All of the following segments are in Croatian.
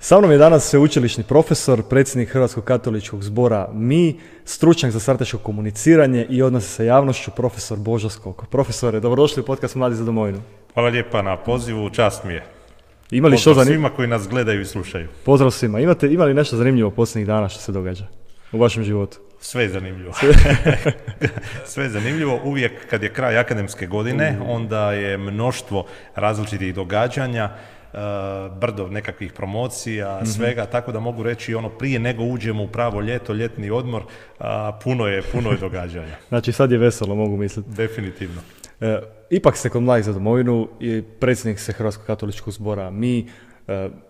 Sa mnom je danas sveučilišni profesor, predsjednik Hrvatskog katoličkog zbora MI, stručnjak za strateško komuniciranje i odnose sa javnošću, profesor Božo Skoko. Profesore, dobrodošli u podcast Mladi za domovinu. Hvala lijepa na pozivu, čast mi je. Pozdrav svima koji nas gledaju i slušaju. Pozdrav svima. Ima li nešto zanimljivo posljednjih dana što se događa u vašem životu? Sve je zanimljivo. Sve je zanimljivo. Uvijek kad je kraj akademske godine, onda je mnoštvo različitih događanja, brdo nekakvih promocija, svega, tako da mogu reći prije nego uđemo u pravo ljeto, ljetni odmor, puno je događanja. Znači sad je veselo, mogu misliti. Definitivno. Ipak ste kod Mladih za domovinu i predsjednik ste Hrvatskog katoličkog zbora MI,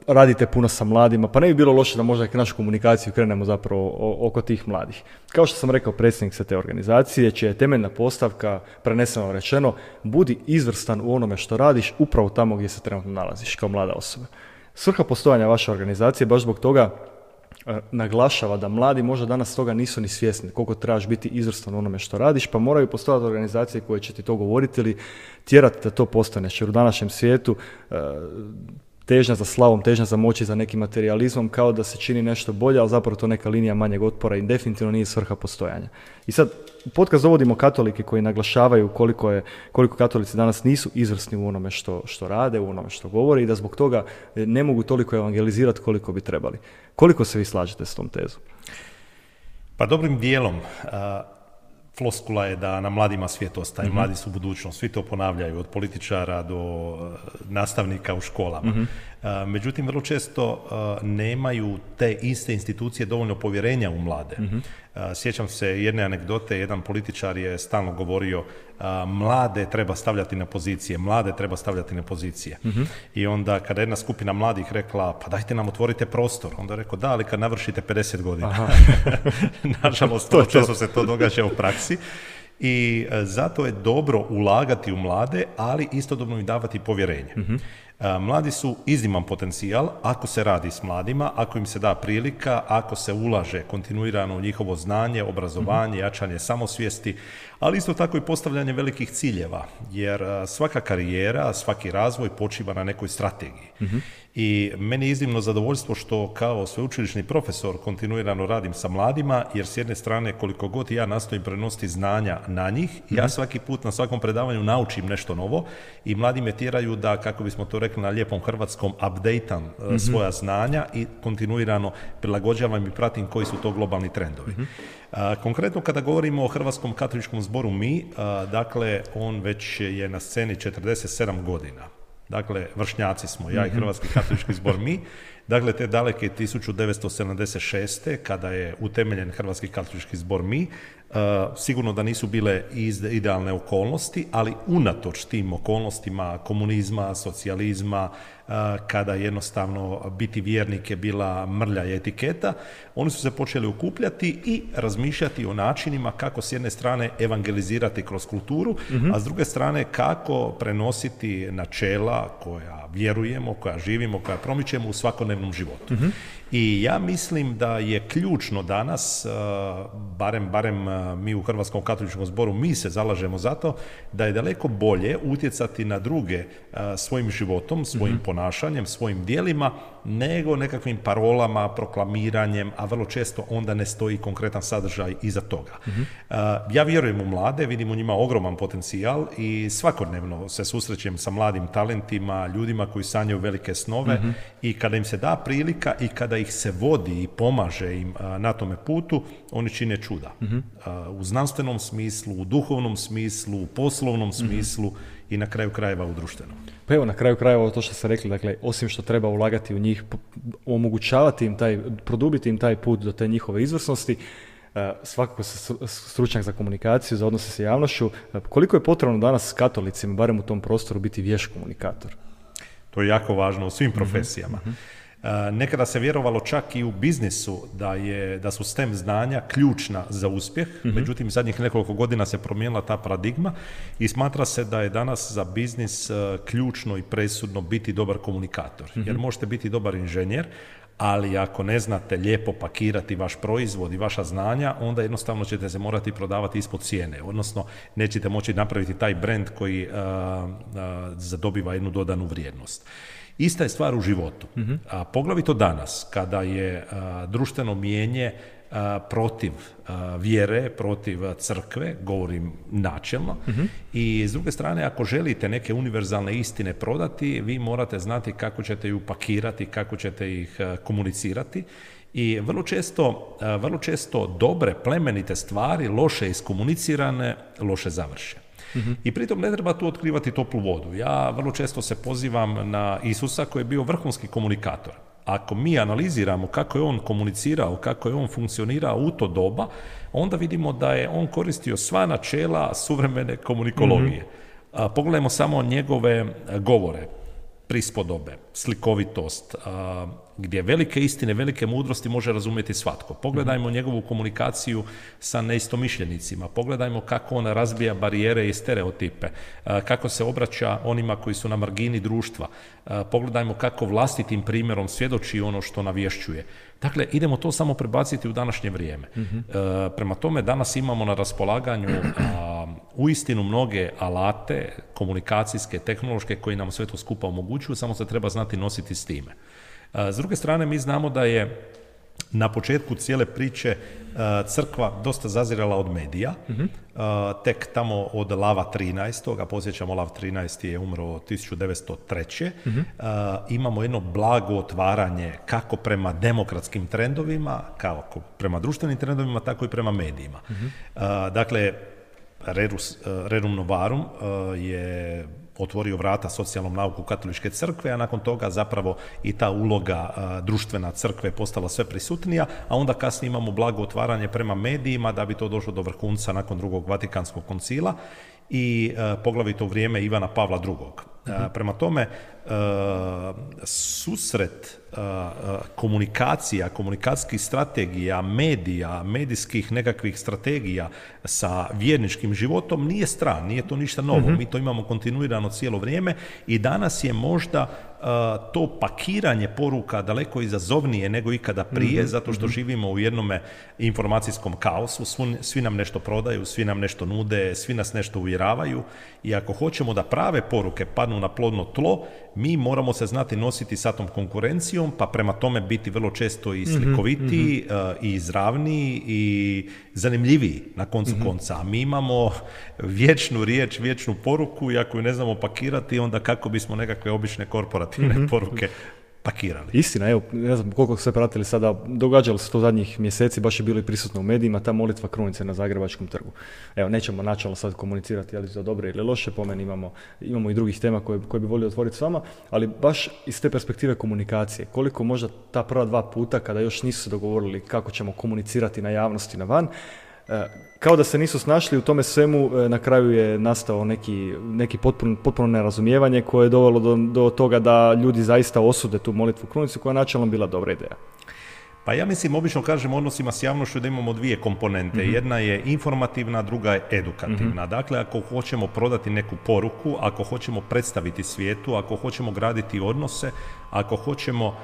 radite puno sa mladima, pa ne bi bilo loše da možda našu komunikaciju krenemo zapravo oko tih mladih. Kao što sam rekao, predsjednik ste te organizacije, čija je temeljna postavka, preneseno rečeno, budi izvrstan u onome što radiš upravo tamo gdje se trenutno nalaziš kao mlada osoba. Svrha postojanja vaše organizacije baš zbog toga naglašava da mladi možda danas toga nisu ni svjesni koliko trebaš biti izvrstan u onome što radiš, pa moraju postojati organizacije koje će ti to govoriti ili tjerati da to postaneš. Jer u današnjem svijetu težnja za slavom, težnja za moći, za nekim materijalizmom, kao da se čini nešto bolje, ali zapravo to neka linija manjeg otpora i definitivno nije svrha postojanja. I sad, u podcast dovodimo katolike koji naglašavaju koliko katolici danas nisu izvrsni u onome što rade, u onome što govore i da zbog toga ne mogu toliko evangelizirati koliko bi trebali. Koliko se vi slažete s tom tezom? Pa dobrim dijelom. Floskula je da na mladima svijet ostaje, mladi su budućnost, svi to ponavljaju, od političara do nastavnika u školama. Međutim, vrlo često nemaju te iste institucije dovoljno povjerenja u mlade. Sjećam se jedne anegdote, jedan političar je stalno govorio mlade treba stavljati na pozicije, I onda kada jedna skupina mladih rekla, pa dajte nam otvorite prostor, onda je rekao, da, ali kad navršite 50 godina. Nažalost, vrlo često se to događa u praksi. I zato je dobro ulagati u mlade, ali istodobno im davati povjerenje. Mladi su izniman potencijal ako se radi s mladima, ako im se da prilika, ako se ulaže kontinuirano u njihovo znanje, obrazovanje, jačanje samosvijesti, ali isto tako i postavljanje velikih ciljeva, jer svaka karijera, svaki razvoj počiva na nekoj strategiji. I meni je iznimno zadovoljstvo što kao sveučilišni profesor kontinuirano radim sa mladima, jer s jedne strane koliko god ja nastojim prenositi znanja na njih, ja svaki put na svakom predavanju naučim nešto novo i mladi me tjeraju da, kako bismo to rekli na lijepom hrvatskom, updateam svoja znanja i kontinuirano prilagođavam i pratim koji su to globalni trendovi. Konkretno kada govorimo o Hrvatskom katoličkom zboru MI, dakle on već je na sceni 47 godina. Dakle, vršnjaci smo, ja i Hrvatski katolički zbor MI. Dakle, te daleke 1976. kada je utemeljen Hrvatski katolički zbor MI, sigurno da nisu bile idealne okolnosti, ali unatoč tim okolnostima komunizma, socijalizma, kada jednostavno biti vjernik je bila mrlja i etiketa, oni su se počeli okupljati i razmišljati o načinima kako s jedne strane evangelizirati kroz kulturu, a s druge strane kako prenositi načela koja vjerujemo, koja živimo, koja promičemo u svakodnevnom životu. I ja mislim da je ključno danas, barem mi u Hrvatskom katoličkom zboru, mi se zalažemo za to da je daleko bolje utjecati na druge svojim životom, svojim ponašanjem, svojim djelima, nego nekakvim parolama, proklamiranjem, a vrlo često onda ne stoji konkretan sadržaj iza toga. Ja vjerujem u mlade, vidim u njima ogroman potencijal i svakodnevno se susrećem sa mladim talentima, ljudima koji sanjaju velike snove i kada im se da prilika i kada ih se vodi i pomaže im na tome putu, oni čine čuda. U znanstvenom smislu, u duhovnom smislu, u poslovnom smislu i na kraju krajeva u društvenom. Pa evo, na kraju krajeva to što ste rekli, dakle, osim što treba ulagati u njih, omogućavati im produbiti im taj put do te njihove izvrsnosti, svakako stručnjak za komunikaciju, za odnose sa javnošću, koliko je potrebno danas katolicima, barem u tom prostoru, biti vješt komunikator? To je jako važno u svim profesijama. Nekada se vjerovalo čak i u biznisu da su STEM znanja ključna za uspjeh, međutim zadnjih nekoliko godina se promijenila ta paradigma i smatra se da je danas za biznis ključno i presudno biti dobar komunikator, jer možete biti dobar inženjer, ali ako ne znate lijepo pakirati vaš proizvod i vaša znanja, onda jednostavno ćete se morati prodavati ispod cijene, odnosno nećete moći napraviti taj brand koji zadobiva jednu dodanu vrijednost. Ista je stvar u životu. A poglavito danas, kada je društveno mijenje protiv vjere, protiv crkve, govorim načelno, i s druge strane, ako želite neke univerzalne istine prodati, vi morate znati kako ćete ju pakirati, kako ćete ih komunicirati. I vrlo često dobre, plemenite stvari, loše iskomunicirane, loše završe. I pritom ne treba tu otkrivati toplu vodu. Ja vrlo često se pozivam na Isusa koji je bio vrhunski komunikator. Ako mi analiziramo kako je on komunicirao, kako je on funkcionirao u to doba, onda vidimo da je on koristio sva načela suvremene komunikologije. Pogledajmo samo njegove govore, prispodobe, slikovitost, gdje velike istine, velike mudrosti može razumjeti svatko. Pogledajmo njegovu komunikaciju sa neistomišljenicima, pogledajmo kako on razbija barijere i stereotipe, kako se obraća onima koji su na margini društva, pogledajmo kako vlastitim primjerom svjedoči ono što navješćuje. Dakle, idemo to samo prebaciti u današnje vrijeme. Prema tome, danas imamo na raspolaganju uistinu mnoge alate, komunikacijske, tehnološke, koji nam sve to skupa omogućuju, samo se treba znati nositi s time. S druge strane, mi znamo da je na početku cijele priče crkva dosta zazirala od medija. Tek tamo od Lava 13. a podsjećamo, Lav 13. je umro 1903. Imamo jedno blago otvaranje kako prema demokratskim trendovima, kako prema društvenim trendovima, tako i prema medijima. Dakle, Rerum Novarum je otvorio vrata socijalnom nauku katoličke crkve, a nakon toga zapravo i ta uloga društvena crkve postala sve prisutnija, a onda kasnije imamo blago otvaranje prema medijima da bi to došlo do vrhunca nakon drugog Vatikanskog koncila i poglavito u vrijeme Ivana Pavla II. Prema tome, susret komunikacija, komunikacijskih strategija, medija, medijskih nekakvih strategija sa vjerničkim životom nije stran, nije to ništa novo. Mi to imamo kontinuirano cijelo vrijeme i danas je možda to pakiranje poruka daleko izazovnije nego ikada prije, zato što živimo u jednome informacijskom kaosu, svi nam nešto prodaju, svi nam nešto nude, svi nas nešto uvjeravaju i ako hoćemo da prave poruke padnu na plodno tlo, mi moramo se znati nositi sa tom konkurencijom, pa prema tome biti vrlo često i slikovitiji, i izravniji i zanimljiviji na koncu konca. A mi imamo vječnu riječ, vječnu poruku i ako ju ne znamo pakirati, onda kako bismo nekakve obične korporativne poruke pakirali. Istina, evo, ne znam koliko ste pratili sada, događalo se to zadnjih mjeseci, baš je bilo i prisutno u medijima, ta molitva krunice na Zagrebačkom trgu. Evo, nećemo načelno sad komunicirati, ali za dobre ili loše, po meni imamo i drugih tema koje bi volio otvoriti s vama, ali baš iz te perspektive komunikacije, koliko možda ta prva 2 puta, kada još nisu se dogovorili kako ćemo komunicirati na javnosti, na van, kao da se nisu snašli u tome svemu, na kraju je nastao neki potpuno nerazumijevanje koje je dovelo do toga da ljudi zaista osude tu molitvu krunicu koja je načelno bila dobra ideja. Pa ja mislim, obično kažem u odnosima s javnošću da imamo 2 komponente. Jedna je informativna, druga je edukativna. Dakle, ako hoćemo prodati neku poruku, ako hoćemo predstaviti svijetu, ako hoćemo graditi odnose, ako hoćemo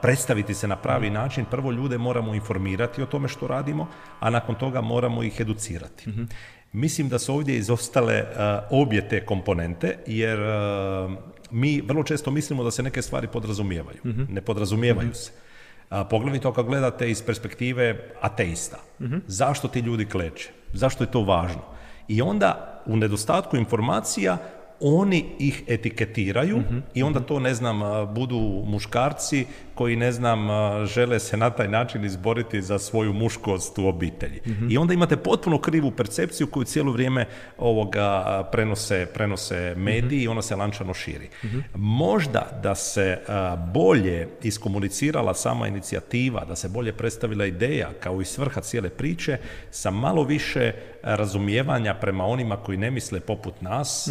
predstaviti se na pravi način, prvo ljude moramo informirati o tome što radimo, a nakon toga moramo ih educirati. Mislim da su ovdje izostale obje te komponente, jer mi vrlo često mislimo da se neke stvari podrazumijevaju. Ne podrazumijevaju se. Poglavito ako gledate iz perspektive ateista. Zašto ti ljudi kleče? Zašto je to važno? I onda u nedostatku informacija oni ih etiketiraju i onda to, ne znam, budu muškarci koji, ne znam, žele se na taj način izboriti za svoju muškost u obitelji. I onda imate potpuno krivu percepciju koju cijelo vrijeme prenose mediji i ona se lančano širi. Možda da se bolje iskomunicirala sama inicijativa, da se bolje predstavila ideja kao i svrha cijele priče, sa malo više razumijevanja prema onima koji ne misle poput nas,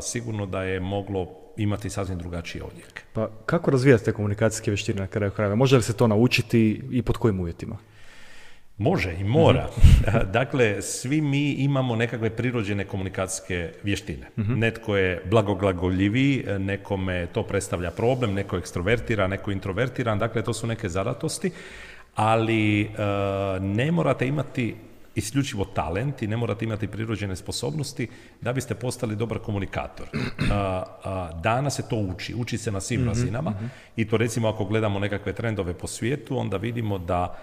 sigurno da je moglo imati sasvim drugačije odjeke. Pa kako razvijati te komunikacijske vještine na kraju krajeva? Može li se to naučiti i pod kojim uvjetima? Može i mora. Dakle, svi mi imamo nekakve prirođene komunikacijske vještine. Netko je blagoglagoljivi, nekome to predstavlja problem, neko je ekstrovertiran, neko je introvertiran, dakle to su neke zadatosti, ali ne morate imati isključivo talent i ne morate imati prirođene sposobnosti da biste postali dobar komunikator. Danas se to uči se na svim razinama i to recimo ako gledamo nekakve trendove po svijetu, onda vidimo da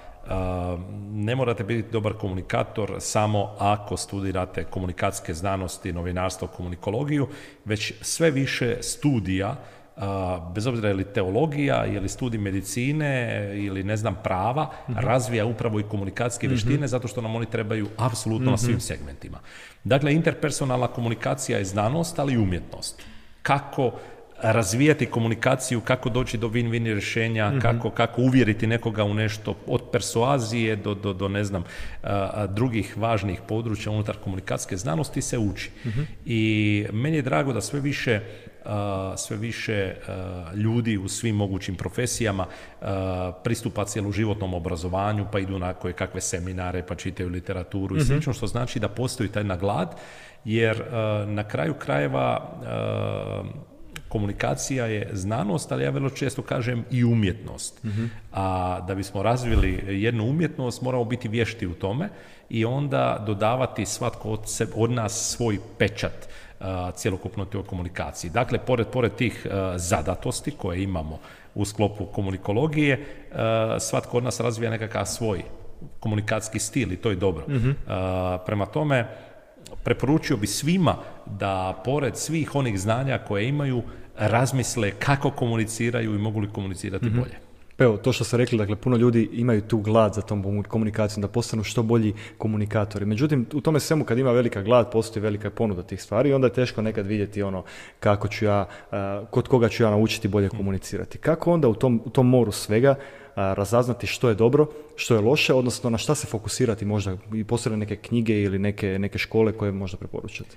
ne morate biti dobar komunikator samo ako studirate komunikacijske znanosti, novinarstvo, komunikologiju, već sve više studija, bez obzira je li teologija, je li studij medicine ili ne znam prava, razvija upravo i komunikacijske vještine zato što nam oni trebaju apsolutno na svim segmentima. Dakle, interpersonalna komunikacija je znanost, ali i umjetnost. Kako razvijati komunikaciju, kako doći do win-win rješenja, kako uvjeriti nekoga u nešto, od persuazije do ne znam, drugih važnih područja unutar komunikacijske znanosti se uči. I meni je drago da sve više ljudi u svim mogućim profesijama pristupa cjeloživotnom obrazovanju, pa idu na koje kakve seminare, pa čitaju literaturu i slično, što znači da postoji taj glad, jer na kraju krajeva komunikacija je znanost, ali ja vrlo često kažem i umjetnost. A da bismo razvili jednu umjetnost, moramo biti vješti u tome i onda dodavati svatko od nas svoj pečat cjelokupno toj komunikaciji. Dakle, pored tih zadatosti koje imamo u sklopu komunikologije, svatko od nas razvija nekakav svoj komunikacijski stil i to je dobro. Prema tome, preporučio bi svima da pored svih onih znanja koje imaju, razmisle kako komuniciraju i mogu li komunicirati bolje. Evo, to što ste rekli, dakle, puno ljudi imaju tu glad za tom komunikacijom, da postanu što bolji komunikatori. Međutim, u tome svemu kad ima velika glad, postoji velika ponuda tih stvari i onda je teško nekad vidjeti kako ću ja, kod koga ću ja naučiti bolje komunicirati. Kako onda u tom moru svega razaznati što je dobro, što je loše, odnosno na šta se fokusirati, možda i postoje neke knjige ili neke škole koje možda preporučate?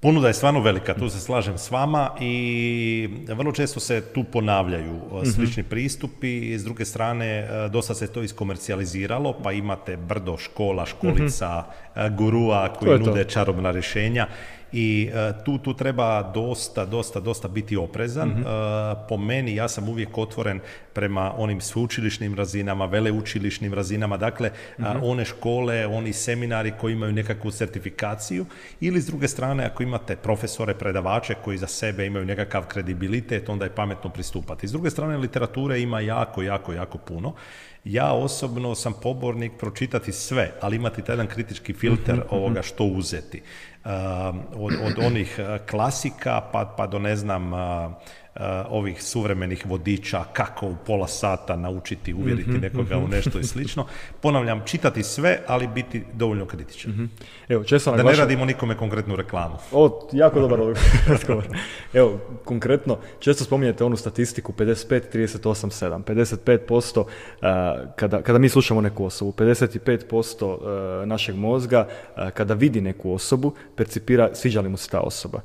Ponuda je stvarno velika, tu se slažem s vama i vrlo često se tu ponavljaju slični pristupi i s druge strane dosta se to iskomercijaliziralo, pa imate brdo škola, školica, gurua koji nude čarobna rješenja i tu treba dosta biti oprezan. Po meni, ja sam uvijek otvoren prema onim sveučilišnim razinama, veleučilišnim razinama, dakle one škole, oni seminari koji imaju nekakvu certifikaciju ili s druge strane ako imate profesore, predavače koji za sebe imaju nekakav kredibilitet, onda je pametno pristupati. S druge strane literature ima jako puno. Ja osobno sam pobornik pročitati sve, ali imati taj jedan kritički filter ovoga što uzeti. Od onih klasika pa do ne znam ovih suvremenih vodiča kako u pola sata naučiti, uvjeriti nekoga u nešto i slično. Ponavljam, čitati sve, ali biti dovoljno kritičan. Evo, često da ne radimo nikome konkretnu reklamu. Jako dobar razgovor. Evo, konkretno, često spominjete onu statistiku 55-38-7. 55% kada mi slušamo neku osobu, 55% našeg mozga kada vidi neku osobu, percipira sviđa li mu se ta osoba.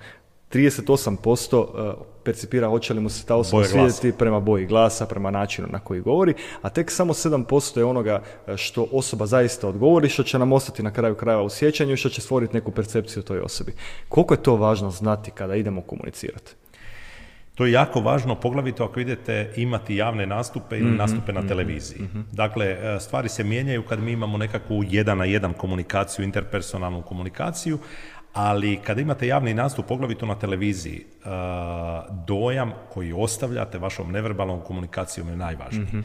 38% percipira hoće li mu se ta osoba svidjeti prema boji glasa, prema načinu na koji govori, a tek samo 7% je onoga što osoba zaista odgovori, što će nam ostati na kraju krajeva u sjećanju i što će stvoriti neku percepciju o toj osobi. Koliko je to važno znati kada idemo komunicirati? To je jako važno, poglavito ako idete imati javne nastupe ili nastupe na televiziji. Dakle, stvari se mijenjaju kad mi imamo nekakvu 1-na-1 komunikaciju, interpersonalnu komunikaciju, ali kada imate javni nastup, poglavito na televiziji, dojam koji ostavljate vašom neverbalnom komunikacijom je najvažniji.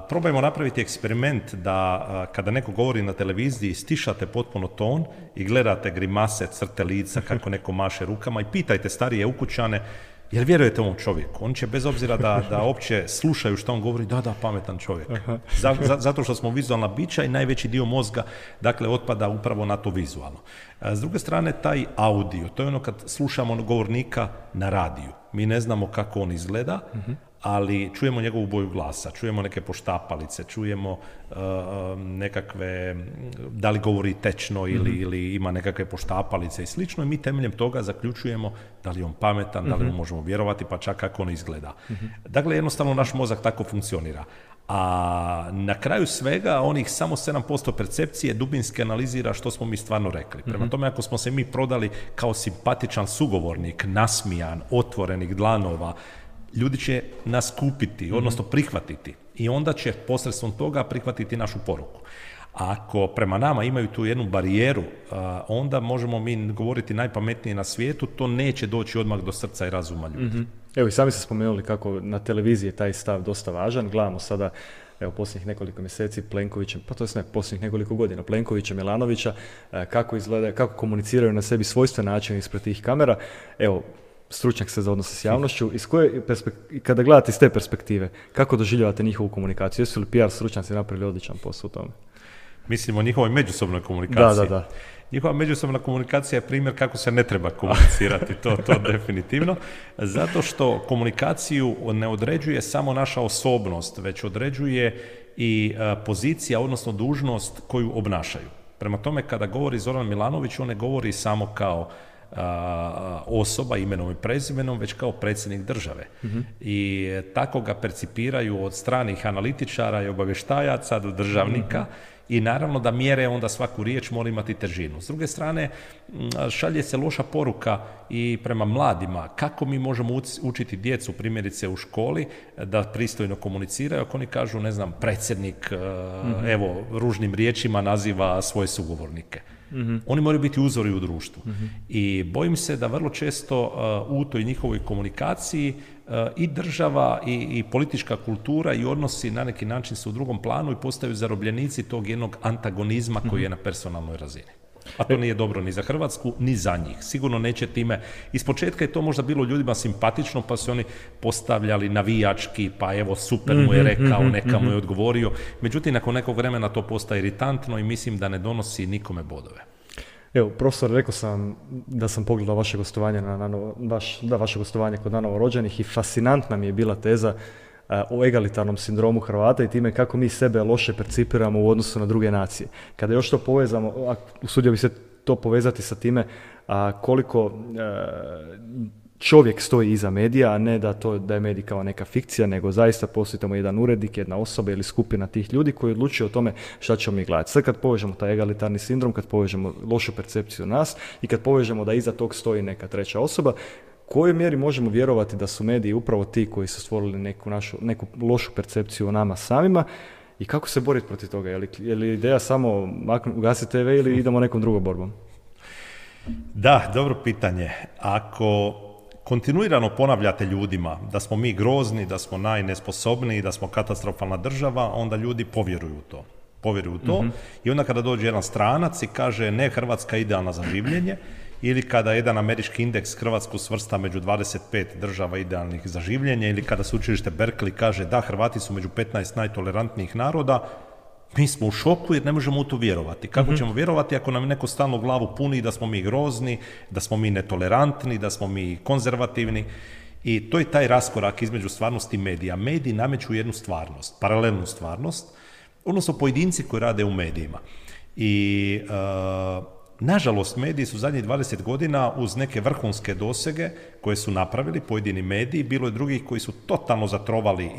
Probajmo napraviti eksperiment da kada neko govori na televiziji stišate potpuno ton i gledate grimase, crte lica, kako neko maše rukama i pitajte starije ukućane jer vjerujete ovom čovjeku. On će bez obzira da opće slušaju što on govori, da, pametan čovjek. Zato što smo vizualna bića i najveći dio mozga dakle otpada upravo na to vizualno. S druge strane, taj audio, to je ono kad slušamo govornika na radiju. Mi ne znamo kako on izgleda, ali čujemo njegovu boju glasa, čujemo neke poštapalice, čujemo nekakve, da li govori tečno ili ima nekakve poštapalice i slično i mi temeljem toga zaključujemo da li je on pametan, da li mu možemo vjerovati, pa čak kako on izgleda. Dakle, jednostavno naš mozak tako funkcionira. A na kraju svega onih samo 7% percepcije dubinski analizira što smo mi stvarno rekli. Prema tome, ako smo se mi prodali kao simpatičan sugovornik, nasmijan, otvorenih dlanova, ljudi će nas kupiti, odnosno prihvatiti i onda će posredstvom toga prihvatiti našu poruku. Ako prema nama imaju tu jednu barijeru, onda možemo mi govoriti najpametnije na svijetu, to neće doći odmah do srca i razuma ljudi. Mm-hmm. Evo i sami ste spomenuli kako na televiziji je taj stav dosta važan. Gledamo sada, evo posljednjih nekoliko mjeseci Plenkovića, pa to je posljednjih nekoliko godina, Plenkovića, Milanovića, kako izgleda, kako komuniciraju na sebi svojstven način ispred tih kamera. Evo, stručnjak ste za odnose s javnošću, kada gledate iz te perspektive, kako doživljavate njihovu komunikaciju? Jesu li PR stručnjaci napravili odličan posao u tome? Mislim o njihovoj međusobnoj komunikaciji. Da. Njihova međusobna komunikacija je primjer kako se ne treba komunicirati, to definitivno, zato što komunikaciju ne određuje samo naša osobnost, već određuje i pozicija, odnosno dužnost koju obnašaju. Prema tome, kada govori Zoran Milanović, on ne govori samo kao osoba imenom i prezimenom, već kao predsjednik države. Mm-hmm. I tako ga percipiraju od stranih analitičara i obavještajaca do državnika. Mm-hmm. I naravno da mjere onda svaku riječ mora imati težinu. S druge strane, šalje se loša poruka i prema mladima. Kako mi možemo učiti djecu, primjerice u školi, da pristojno komuniciraju, ako oni kažu, ne znam, predsjednik, evo, ružnim riječima naziva svoje sugovornike. Mm-hmm. Oni moraju biti uzori u društvu. Mm-hmm. I bojim se da vrlo često u toj njihovoj komunikaciji i država i politička kultura i odnosi na neki način su u drugom planu i postaju zarobljenici tog jednog antagonizma koji je na personalnoj razini. A to nije dobro ni za Hrvatsku, ni za njih. Sigurno neće time. Ispočetka je to možda bilo ljudima simpatično, pa su oni postavljali navijački, pa evo super mu je rekao, neka mu je odgovorio. Međutim, nakon nekog vremena to postaje iritantno i mislim da ne donosi nikome bodove. Evo, profesor, rekao sam da sam pogledao vaše gostovanje, vaše gostovanje kod novorođenih i fascinantna mi je bila teza o egalitarnom sindromu Hrvata i time kako mi sebe loše percipiramo u odnosu na druge nacije. Kada još to povezamo, usudio bi se to povezati sa time koliko čovjek stoji iza medija, a ne da je medij kao neka fikcija, nego zaista postoji tamo jedan urednik, jedna osoba ili skupina tih ljudi koji odlučuju o tome šta ćemo mi gledati. Sad kad povežemo taj egalitarni sindrom, kad povežemo lošu percepciju nas i kad povežemo da iza tog stoji neka treća osoba, u kojoj mjeri možemo vjerovati da su mediji upravo ti koji su stvorili neku lošu percepciju o nama samima i kako se boriti protiv toga? Je li ideja samo ugasiti TV ili idemo nekom drugom borbom? Da, dobro pitanje. Ako kontinuirano ponavljate ljudima da smo mi grozni, da smo najnesposobniji, da smo katastrofalna država, onda ljudi povjeruju u to. I onda kada dođe jedan stranac i kaže ne, Hrvatska je idealna za življenje, ili kada jedan američki indeks Hrvatsku svrsta među 25 država idealnih za življenje, ili kada sveučilište Berkeley kaže da, Hrvati su među 15 najtolerantnijih naroda, mi smo u šoku jer ne možemo u to vjerovati. Kako ćemo vjerovati ako nam neko stalno glavu puni da smo mi grozni, da smo mi netolerantni, da smo mi konzervativni? I to je taj raskorak između stvarnosti i medija. Mediji nameću jednu stvarnost, paralelnu stvarnost, odnosno pojedinci koji rade u medijima. I nažalost, mediji su zadnjih 20 godina uz neke vrhunske dosege koje su napravili pojedini mediji, bilo je drugih koji su totalno zatrovali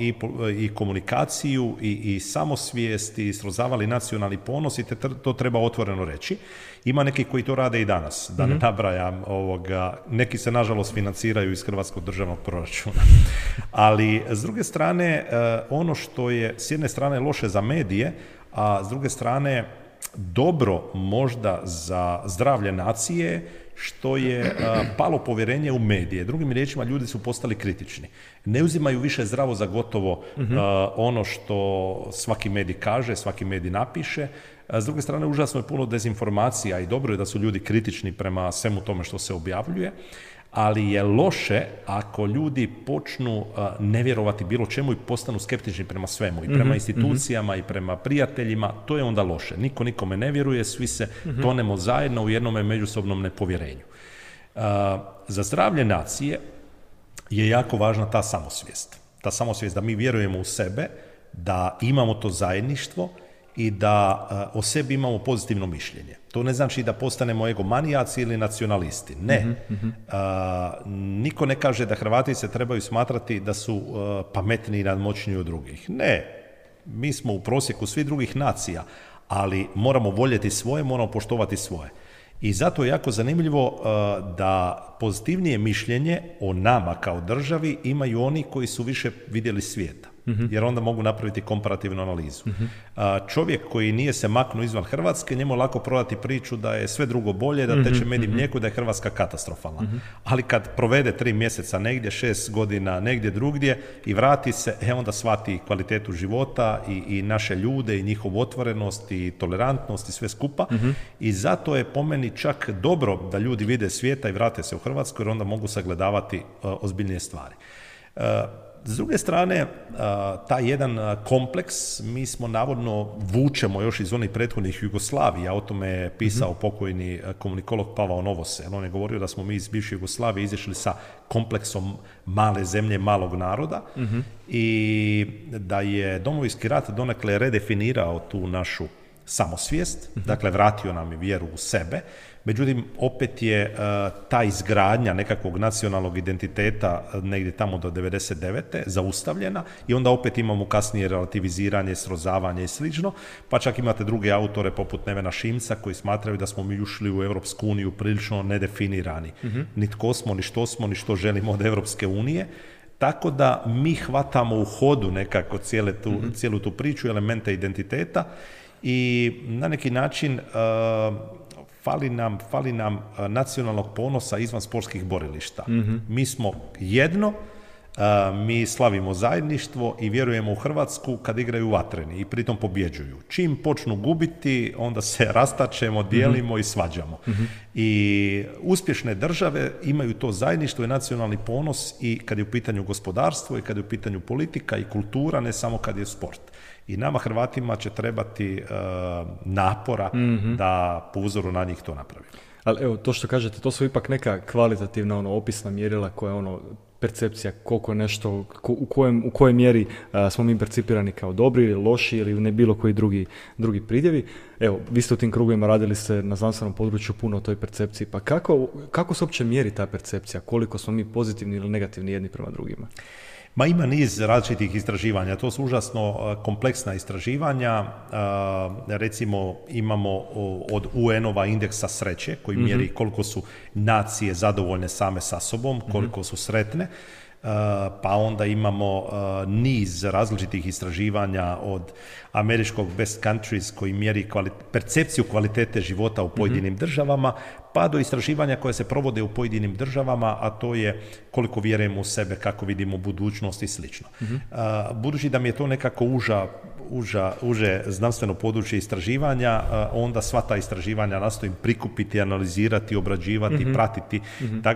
i komunikaciju i samosvijest i srozavali nacionalni ponos i to treba otvoreno reći. Ima neki koji to rade i danas, da ne nabrajam neki se nažalost financiraju iz hrvatskog državnog proračuna. Ali s druge strane, ono što je s jedne strane loše za medije, a s druge strane dobro možda za zdravlje nacije, što je palo povjerenje u medije. Drugim riječima, ljudi su postali kritični. Ne uzimaju više zdravo za gotovo ono što svaki medij kaže, svaki medij napiše. S druge strane, užasno je puno dezinformacija i dobro je da su ljudi kritični prema svemu tome što se objavljuje, ali je loše ako ljudi počnu ne vjerovati bilo čemu i postanu skeptični prema svemu, i prema institucijama i prema prijateljima, to je onda loše. Niko nikome ne vjeruje, svi se tonemo zajedno u jednome međusobnom nepovjerenju. Za zdravlje nacije je jako važna ta samosvijest. Ta samosvijest da mi vjerujemo u sebe, da imamo to zajedništvo i da o sebi imamo pozitivno mišljenje. To ne znači da postanemo egomanijaci ili nacionalisti. Ne. Niko ne kaže da Hrvati se trebaju smatrati da su pametniji i nadmoćniji od drugih. Ne. Mi smo u prosjeku svih drugih nacija, ali moramo voljeti svoje, moramo poštovati svoje. I zato je jako zanimljivo da pozitivnije mišljenje o nama kao državi imaju oni koji su više vidjeli svijeta. jer onda mogu napraviti komparativnu analizu. Čovjek koji nije se maknuo izvan Hrvatske, njemu lako prodati priču da je sve drugo bolje, da teče med i mlijeko, da je Hrvatska katastrofalna. Ali kad provede 3 mjeseca negdje, 6 godina negdje drugdje i vrati se, onda shvati kvalitetu života i naše ljude i njihovu otvorenost i tolerantnost i sve skupa. I zato je po meni čak dobro da ljudi vide svijeta i vrate se u Hrvatsku, jer onda mogu sagledavati ozbiljnije stvari. S druge strane, taj jedan kompleks, mi smo navodno vučemo još iz onih prethodnih Jugoslavija, o tome je pisao pokojni komunikolog Pavao Novosel. On je govorio da smo mi iz bivše Jugoslavije izašli sa kompleksom male zemlje, malog naroda i da je Domovinski rat donekle redefinirao tu našu samosvijest, dakle vratio nam je vjeru u sebe. Međutim, opet je ta izgradnja nekakvog nacionalnog identiteta negdje tamo do 99. zaustavljena i onda opet imamo kasnije relativiziranje, srozavanje i slično, pa čak imate druge autore poput Nevena Šimca koji smatraju da smo mi ušli u Europsku uniju prilično nedefinirani. Ni tko smo, ni što želimo od Europske unije. Tako da mi hvatamo u hodu nekako cijelu tu priču, elemente identiteta i na neki način fali nam nacionalnog ponosa izvan sportskih borilišta. Mi smo jedno, mi slavimo zajedništvo i vjerujemo u Hrvatsku kad igraju vatreni i pritom pobjeđuju. Čim počnu gubiti, onda se rastačemo, dijelimo i svađamo. I uspješne države imaju to zajedništvo i nacionalni ponos i kad je u pitanju gospodarstvo i kad je u pitanju politika i kultura, ne samo kad je sport. I nama Hrvatima će trebati napora da po uzoru na njih to napravimo. Ali evo, to što kažete, to su ipak neka kvalitativna opisna mjerila koja je percepcija koliko nešto, u kojoj mjeri smo mi percipirani kao dobri ili loši ili ne bilo koji drugi pridjevi. Evo, vi ste u tim krugovima radili ste na znanstvenom području puno o toj percepciji, pa kako se uopće mjeri ta percepcija, koliko smo mi pozitivni ili negativni jedni prema drugima? Ma ima niz različitih istraživanja, to su užasno kompleksna istraživanja, recimo imamo od UN-ova indeksa sreće koji mjeri koliko su nacije zadovoljne same sa sobom, koliko su sretne, pa onda imamo niz različitih istraživanja od američkog Best Countries koji mjeri percepciju kvalitete života u pojedinim državama, pa do istraživanja koje se provode u pojedinim državama, a to je koliko vjerujemo u sebe, kako vidimo budućnost i slično. Budući da mi je to nekako uže znanstveno područje istraživanja, onda sva ta istraživanja nastojim prikupiti, analizirati, obrađivati, pratiti,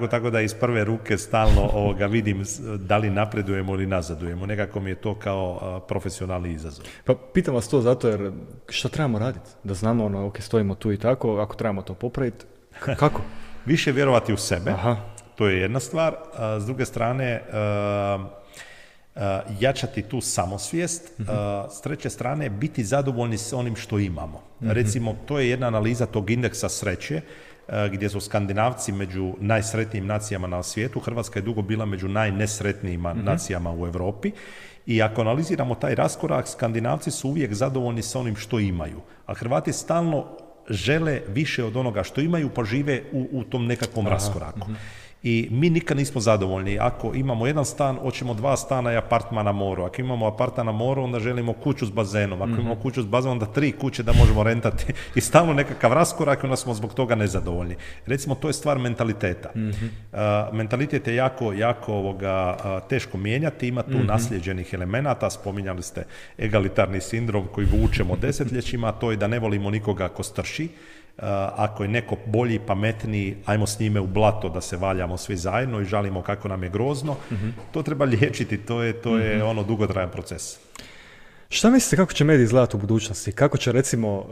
tako da iz prve ruke stalno vidim da li napredujemo ili nazadujemo. Nekako mi je to kao profesionalni izazov. Pa pitam vas to zato jer što trebamo raditi? Da znamo, ok, stojimo tu i tako, ako trebamo to popraviti, kako? Više vjerovati u sebe, to je jedna stvar. S druge strane, jačati tu samosvijest, s treće strane biti zadovoljni s onim što imamo. Recimo, to je jedna analiza tog indeksa sreće, gdje su Skandinavci među najsretnijim nacijama na svijetu. Hrvatska je dugo bila među najnesretnijim nacijama u Europi. I ako analiziramo taj raskorak, Skandinavci su uvijek zadovoljni sa onim što imaju, a Hrvati stalno žele više od onoga što imaju, pa žive u tom nekakvom raskoraku. I mi nikad nismo zadovoljni. Ako imamo jedan stan, hoćemo 2 stana i apartman na moru. Ako imamo apartman na moru, onda želimo kuću s bazenom. Ako imamo kuću s bazenom, onda 3 kuće da možemo rentati. I stalno nekakav raskorak, onda smo zbog toga nezadovoljni. Recimo, to je stvar mentaliteta. Mentalitet je jako teško mijenjati. Ima tu naslijeđenih elemenata. Spominjali ste egalitarni sindrom koji vučemo desetljećima. To je da ne volimo nikoga ko strši. Ako je neko bolji i pametniji, ajmo s njime u blato da se valjamo svi zajedno i žalimo kako nam je grozno. To treba liječiti, to je dugotrajan proces. Šta mislite kako će mediji izgledati u budućnosti? Kako će recimo,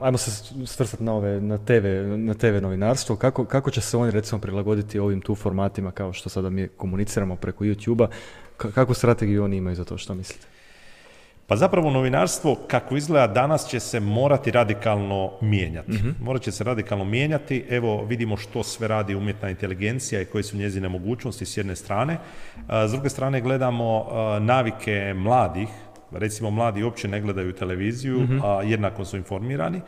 ajmo se svrstati na TV novinarstvo, kako će se oni recimo prilagoditi ovim tu formatima kao što sada mi komuniciramo preko YouTube-a? Kakvu strategiju oni imaju za to, što mislite? Pa zapravo novinarstvo kako izgleda danas će se morati radikalno mijenjati. Morat će se radikalno mijenjati. Evo vidimo što sve radi umjetna inteligencija i koje su njezine mogućnosti s jedne strane. S druge strane gledamo navike mladih. Recimo mladi uopće ne gledaju televiziju, a jednako su informirani.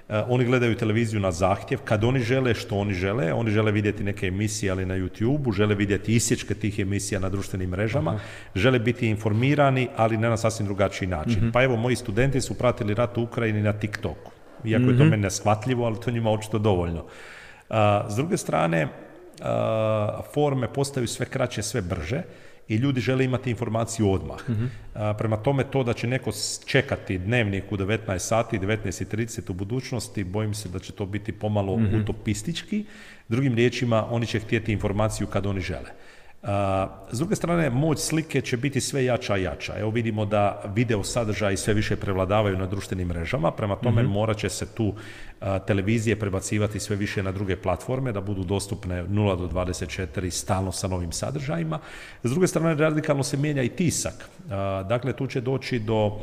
Oni gledaju televiziju na zahtjev, kad oni žele, što oni žele vidjeti neke emisije, ali na YouTube-u, žele vidjeti isječke tih emisija na društvenim mrežama, žele biti informirani, ali ne na sasvim drugačiji način. Pa evo, moji studenti su pratili rat u Ukrajini na TikToku, iako je to meni neshvatljivo, ali to njima očito dovoljno. S druge strane, forme postaju sve kraće, sve brže, i ljudi žele imati informaciju odmah. Prema tome, to da će neko čekati dnevnik u 19 sati, 19:30 u budućnosti, bojim se da će to biti pomalo utopistički. Drugim riječima, oni će htjeti informaciju kad oni žele. S druge strane, moć slike će biti sve jača i jača. Evo vidimo da video sadržaji sve više prevladavaju na društvenim mrežama, prema tome morat će se tu televizije prebacivati sve više na druge platforme, da budu dostupne 0 do 24 stalno sa novim sadržajima. S druge strane, radikalno se mijenja i tisak. Dakle, tu će doći do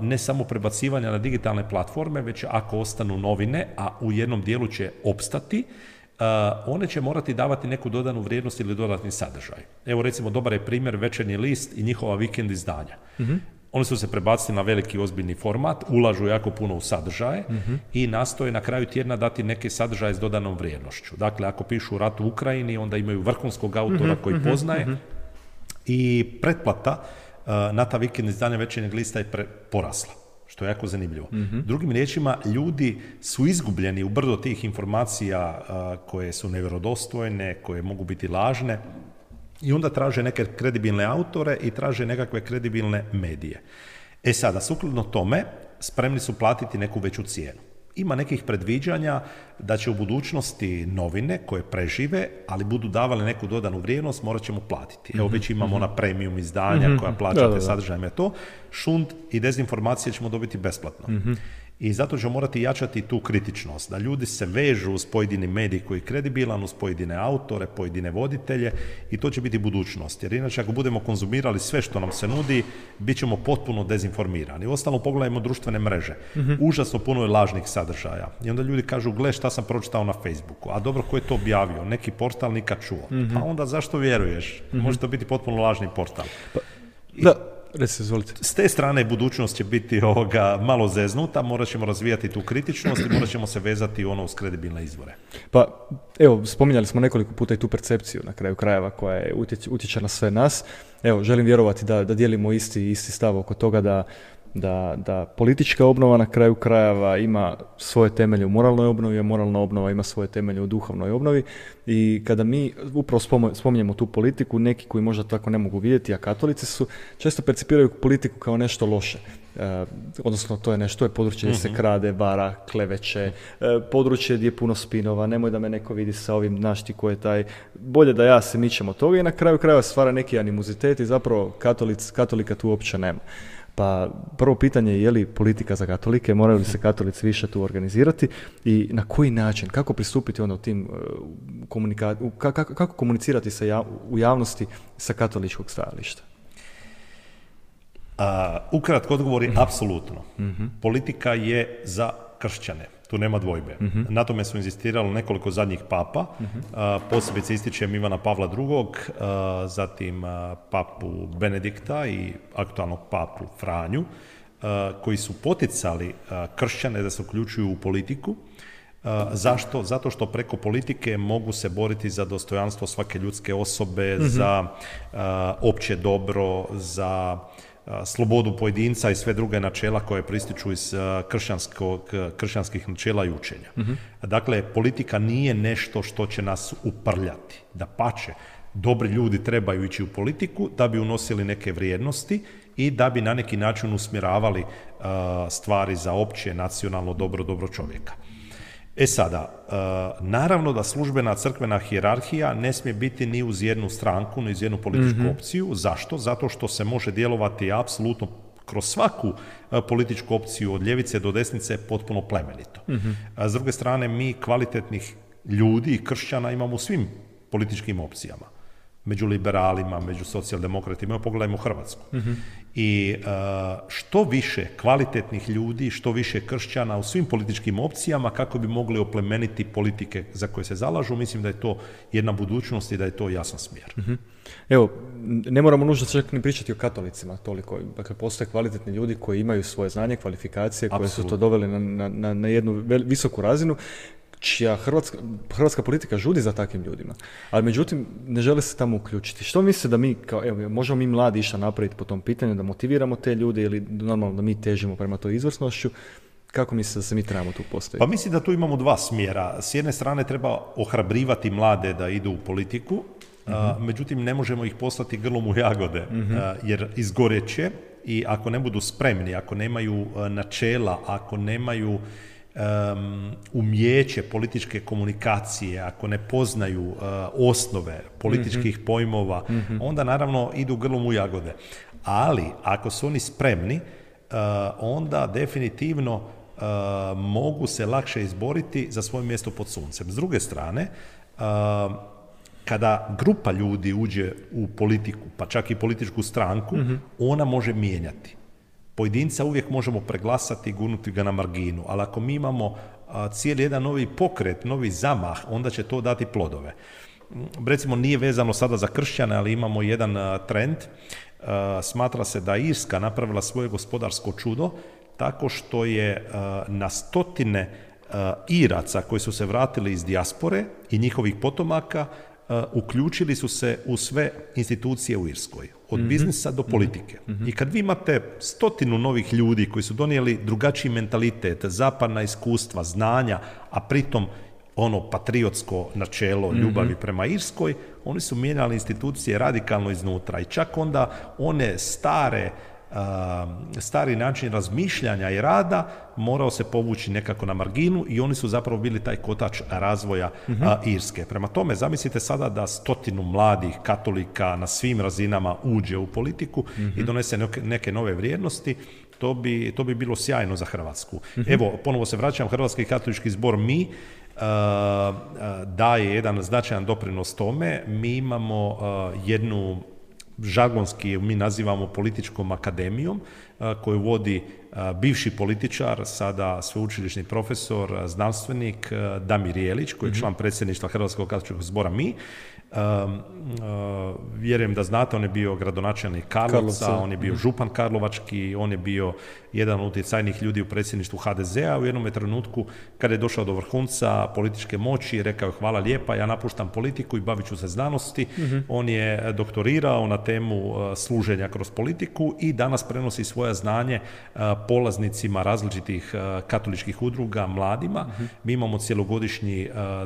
ne samo prebacivanja na digitalne platforme, već ako ostanu novine, a u jednom dijelu će opstati, one će morati davati neku dodanu vrijednost ili dodatni sadržaj. Evo recimo, dobar je primjer Večernji list i njihova vikend izdanja. Oni su se prebacili na veliki ozbiljni format, ulažu jako puno u sadržaje i nastoje na kraju tjedna dati neke sadržaje s dodanom vrijednošću. Dakle, ako pišu rat u Ukrajini, onda imaju vrhunskog autora koji poznaje i pretplata na ta vikend izdanja Večernjeg lista je porasla, što je jako zanimljivo. Drugim riječima, ljudi su izgubljeni u brdo tih informacija koje su nevjerodostojne, koje mogu biti lažne, i onda traže neke kredibilne autore i traže nekakve kredibilne medije. Sada, sukladno tome, spremni su platiti neku veću cijenu. Ima nekih predviđanja da će u budućnosti novine koje prežive, ali budu davale neku dodanu vrijednost, morat ćemo platiti. Evo već imamo ona premium izdanja koja plaćate sadržajima, to šund i dezinformacije ćemo dobiti besplatno. I zato ćemo morati jačati tu kritičnost, da ljudi se vežu uz pojedini medij koji je kredibilan, uz pojedine autore, pojedine voditelje, i to će biti budućnost. Jer inače, ako budemo konzumirali sve što nam se nudi, bit ćemo potpuno dezinformirani. Uostalom, pogledajmo društvene mreže. Užasno puno je lažnih sadržaja. I onda ljudi kažu, gle šta sam pročitao na Facebooku. A dobro, ko je to objavio? Neki portal nikad čuo. Pa onda zašto vjeruješ? Može to biti potpuno lažni portal. S te strane budućnost će biti malo zeznuta, morat ćemo razvijati tu kritičnost i morat ćemo se vezati uz kredibilne izvore. Pa evo, spominjali smo nekoliko puta i tu percepciju na kraju krajeva koja je utječe na sve nas. Evo, želim vjerovati da dijelimo isti stav oko toga da politička obnova na kraju krajeva ima svoje temelje u moralnoj obnovi, a moralna obnova ima svoje temelje u duhovnoj obnovi. I kada mi upravo spominjemo tu politiku, neki koji možda tako ne mogu vidjeti, a katolici su, često percipiraju politiku kao nešto loše. Odnosno, to je nešto, to je područje gdje se krade, vara, kleveće, područje gdje je puno spinova, nemoj da me neko vidi sa ovim, znaš ti ko je taj, bolje da ja se mičem od toga, i na kraju krajeva stvara neki animozitet i zapravo katolika tu uopće nema. Pa prvo pitanje je li politika za katolike, moraju li se katolici više tu organizirati i na koji način, kako pristupiti onda u tim kako komunicirati u javnosti sa katoličkog stajališta? Ukratko odgovor je apsolutno. Politika je za kršćane, tu nema dvojbe. Na tome su inzistirali nekoliko zadnjih papa, posebice ističem Ivana Pavla II, zatim papu Benedikta i aktualnog papu Franju, koji su poticali kršćane da se uključuju u politiku. Zašto? Zato što preko politike mogu se boriti za dostojanstvo svake ljudske osobe, za opće dobro, za slobodu pojedinca i sve druge načela koje prističu iz kršćanskih načela i učenja. Dakle, politika nije nešto što će nas uprljati. Dapače, dobri ljudi trebaju ići u politiku da bi unosili neke vrijednosti i da bi na neki način usmjeravali stvari za opće nacionalno dobro čovjeka. Sada, naravno da službena crkvena hijerarhija ne smije biti ni uz jednu stranku, ni uz jednu političku opciju. Zašto? Zato što se može djelovati apsolutno kroz svaku političku opciju od ljevice do desnice potpuno plemenito. S druge strane, mi kvalitetnih ljudi i kršćana imamo u svim političkim opcijama. među liberalima, među socijaldemokratima, pogledajmo Hrvatsku. I što više kvalitetnih ljudi, što više kršćana u svim političkim opcijama kako bi mogli oplemeniti politike za koje se zalažu, mislim da je to jedna budućnost i da je to jasan smjer. Evo, ne moramo nužno čak ni pričati o katolicima toliko. Dakle, postoje kvalitetni ljudi koji imaju svoje znanje, kvalifikacije, koje su to doveli na jednu visoku razinu, čija hrvatska politika žudi za takvim ljudima. Ali međutim, ne žele se tamo uključiti. Što mislite da mi, možemo mi mladi išta napraviti po tom pitanju, da motiviramo te ljude ili normalno da mi težimo prema toj izvrsnošću? Kako mislite da se mi trebamo tu postaviti? Pa mislim da tu imamo dva smjera. S jedne strane treba ohrabrivati mlade da idu u politiku, međutim ne možemo ih poslati grlom u jagode, jer izgoreće i ako ne budu spremni, ako nemaju načela, ako nemaju umijeće političke komunikacije, ako ne poznaju osnove političkih pojmova, onda naravno idu grlom u jagode. Ali ako su oni spremni, onda definitivno mogu se lakše izboriti za svoje mjesto pod suncem. S druge strane, kada grupa ljudi uđe u politiku, pa čak i političku stranku, ona može mijenjati. Pojedinca uvijek možemo preglasati i gurnuti ga na marginu, ali ako mi imamo cijeli jedan novi pokret, novi zamah, onda će to dati plodove. Recimo, nije vezano sada za kršćane, ali imamo jedan trend. Smatra se da je Irska napravila svoje gospodarsko čudo tako što je na stotine Iraca koji su se vratili iz dijaspore i njihovih potomaka uključili su se u sve institucije u Irskoj, od biznisa do politike. I kad vi imate 100 novih ljudi koji su donijeli drugačiji mentalitet, zapadna iskustva, znanja, a pritom ono patriotsko načelo ljubavi prema Irskoj, oni su mijenjali institucije radikalno iznutra i čak onda one stari način razmišljanja i rada morao se povući nekako na marginu i oni su zapravo bili taj kotač razvoja Irske. Prema tome, zamislite sada da 100 mladih katolika na svim razinama uđe u politiku i donese neke nove vrijednosti, to bi bilo sjajno za Hrvatsku. Evo, ponovo se vraćam, Hrvatski katolički zbor daje jedan značajan doprinos tome. Mi imamo jednu žargonski mi nazivamo političkom akademijom, koju vodi bivši političar, sada sveučilišni profesor, znanstvenik Damir Jelić, koji je član predsjedništva Hrvatskog katoličkog zbora vjerujem da znate, on je bio gradonačelnik Karlovca, on je bio župan karlovački, on je bio jedan od utjecajnih ljudi u predsjedništvu HDZ-a. U jednom trenutku, kada je došao do vrhunca političke moći, rekao je hvala lijepa, ja napuštam politiku i bavit ću se znanosti. On je doktorirao na temu služenja kroz politiku i danas prenosi svoje znanje polaznicima različitih katoličkih udruga, mladima. Mi imamo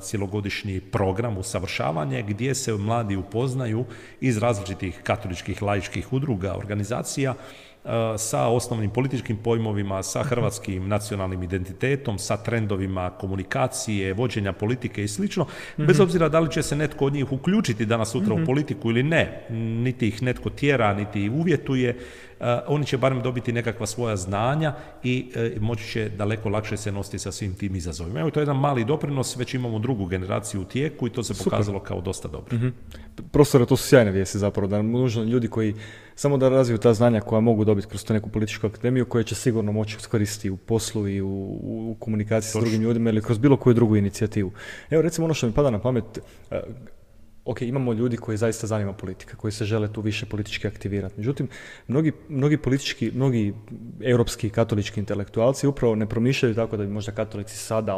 cjelogodišnji program usavršavanja gdje se mladi upoznaju iz različitih katoličkih laičkih udruga, organizacija sa osnovnim političkim pojmovima, sa hrvatskim nacionalnim identitetom, sa trendovima komunikacije, vođenja politike i slično. Bez obzira da li će se netko od njih uključiti danas sutra u politiku ili ne, niti ih netko tjera, niti uvjetuje, oni će barem dobiti nekakva svoja znanja i moći će daleko lakše se nositi sa svim tim izazovima. Evo, to je jedan mali doprinos, već imamo drugu generaciju u tijeku i to se pokazalo kao dosta dobro. Profesore, to su sjajne vijesti zapravo, da nužno ljudi koji samo da razviju ta znanja koja mogu dobiti kroz tu neku političku akademiju, koje će sigurno moći iskoristiti u poslu i u komunikaciji s drugim ljudima ili kroz bilo koju drugu inicijativu. Evo, recimo ono što mi pada na pamet, imamo ljudi koji zaista zanima politika, koji se žele tu više politički aktivirati. Međutim, mnogi europski katolički intelektualci upravo ne promišljaju tako da bi možda katolici sada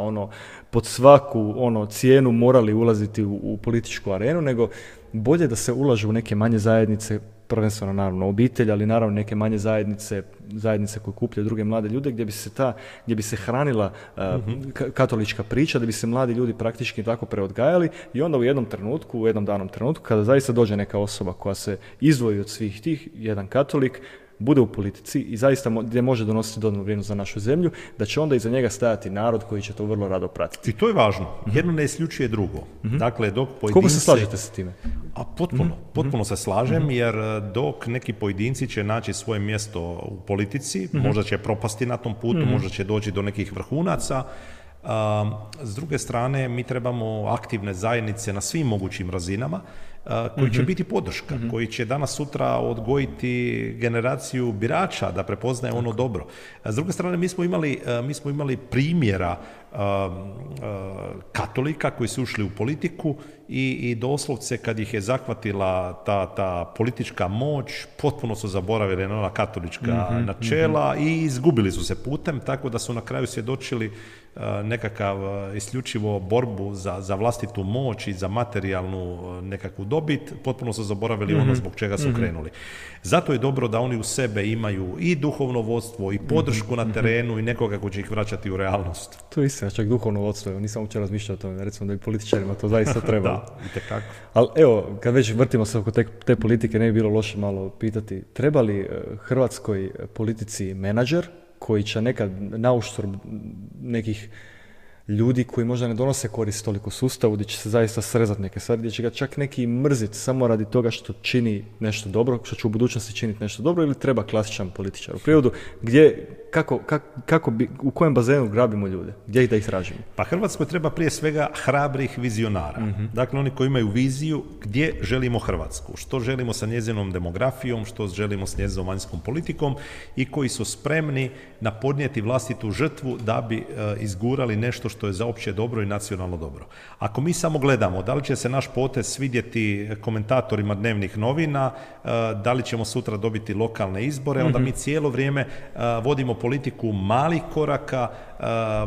pod svaku cijenu morali ulaziti u političku arenu, nego bolje da se ulažu u neke manje zajednice, prvenstveno naravno obitelj, ali naravno neke manje zajednice koje kupljaju druge mlade ljude, gdje bi se hranila katolička priča, da bi se mladi ljudi praktički tako preodgajali i onda u jednom danom trenutku, kada zaista dođe neka osoba koja se izdvoji od svih tih, jedan katolik, bude u politici i zaista gdje može donositi dodanu vrijednost za našu zemlju, da će onda iza njega stajati narod koji će to vrlo rado pratiti. I to je važno. Jedno ne isključuje drugo. Dakle, dok pojedinci... Koliko se slažete sa time? Potpuno se slažem, jer dok neki pojedinci će naći svoje mjesto u politici, možda će propasti na tom putu, možda će doći do nekih vrhunaca. S druge strane, mi trebamo aktivne zajednice na svim mogućim razinama koji će biti podrška, koji će danas sutra odgojiti generaciju birača da prepoznaje ono dobro. S druge strane, mi smo imali primjera katolika koji su ušli u politiku i doslovce kad ih je zahvatila ta politička moć, potpuno su zaboravili na ona katolička načela i izgubili su se putem, tako da su na kraju svjedočili nekakav isključivo borbu za vlastitu moć i za materijalnu nekakvu dobit, potpuno su zaboravili ono zbog čega su krenuli. Zato je dobro da oni u sebe imaju i duhovno vodstvo i podršku na terenu i nekoga ko će ih vraćati u realnost. To je istina, čak duhovno vodstvo, nisam uopće razmišljao o tome, recimo da bi političarima to zaista trebalo. Da, itekako. Ali evo, kad već vrtimo se oko te politike, ne bi bilo loše malo pitati, treba li hrvatskoj politici menadžer koji će nekad nauštrb nekih ljudi koji možda ne donose korist toliko sustavu, gdje će se zaista srezati neke stvari, gdje će ga čak neki mrziti samo radi toga što čini nešto dobro, što će u budućnosti činiti nešto dobro, ili treba klasičan političar u prirodu, gdje, u kojem bazenu grabimo ljude, gdje da ih tražimo? Pa Hrvatskoj treba prije svega hrabrih vizionara. Dakle, oni koji imaju viziju gdje želimo Hrvatsku, što želimo sa njezinom demografijom, što želimo s njezinom vanjskom politikom i koji su spremni na podnijeti vlastitu žrtvu da bi izgurali nešto što je za opće dobro i nacionalno dobro. Ako mi samo gledamo da li će se naš potez svidjeti komentatorima dnevnih novina, da li ćemo sutra dobiti lokalne izbore, onda mi cijelo vrijeme vodimo politiku malih koraka,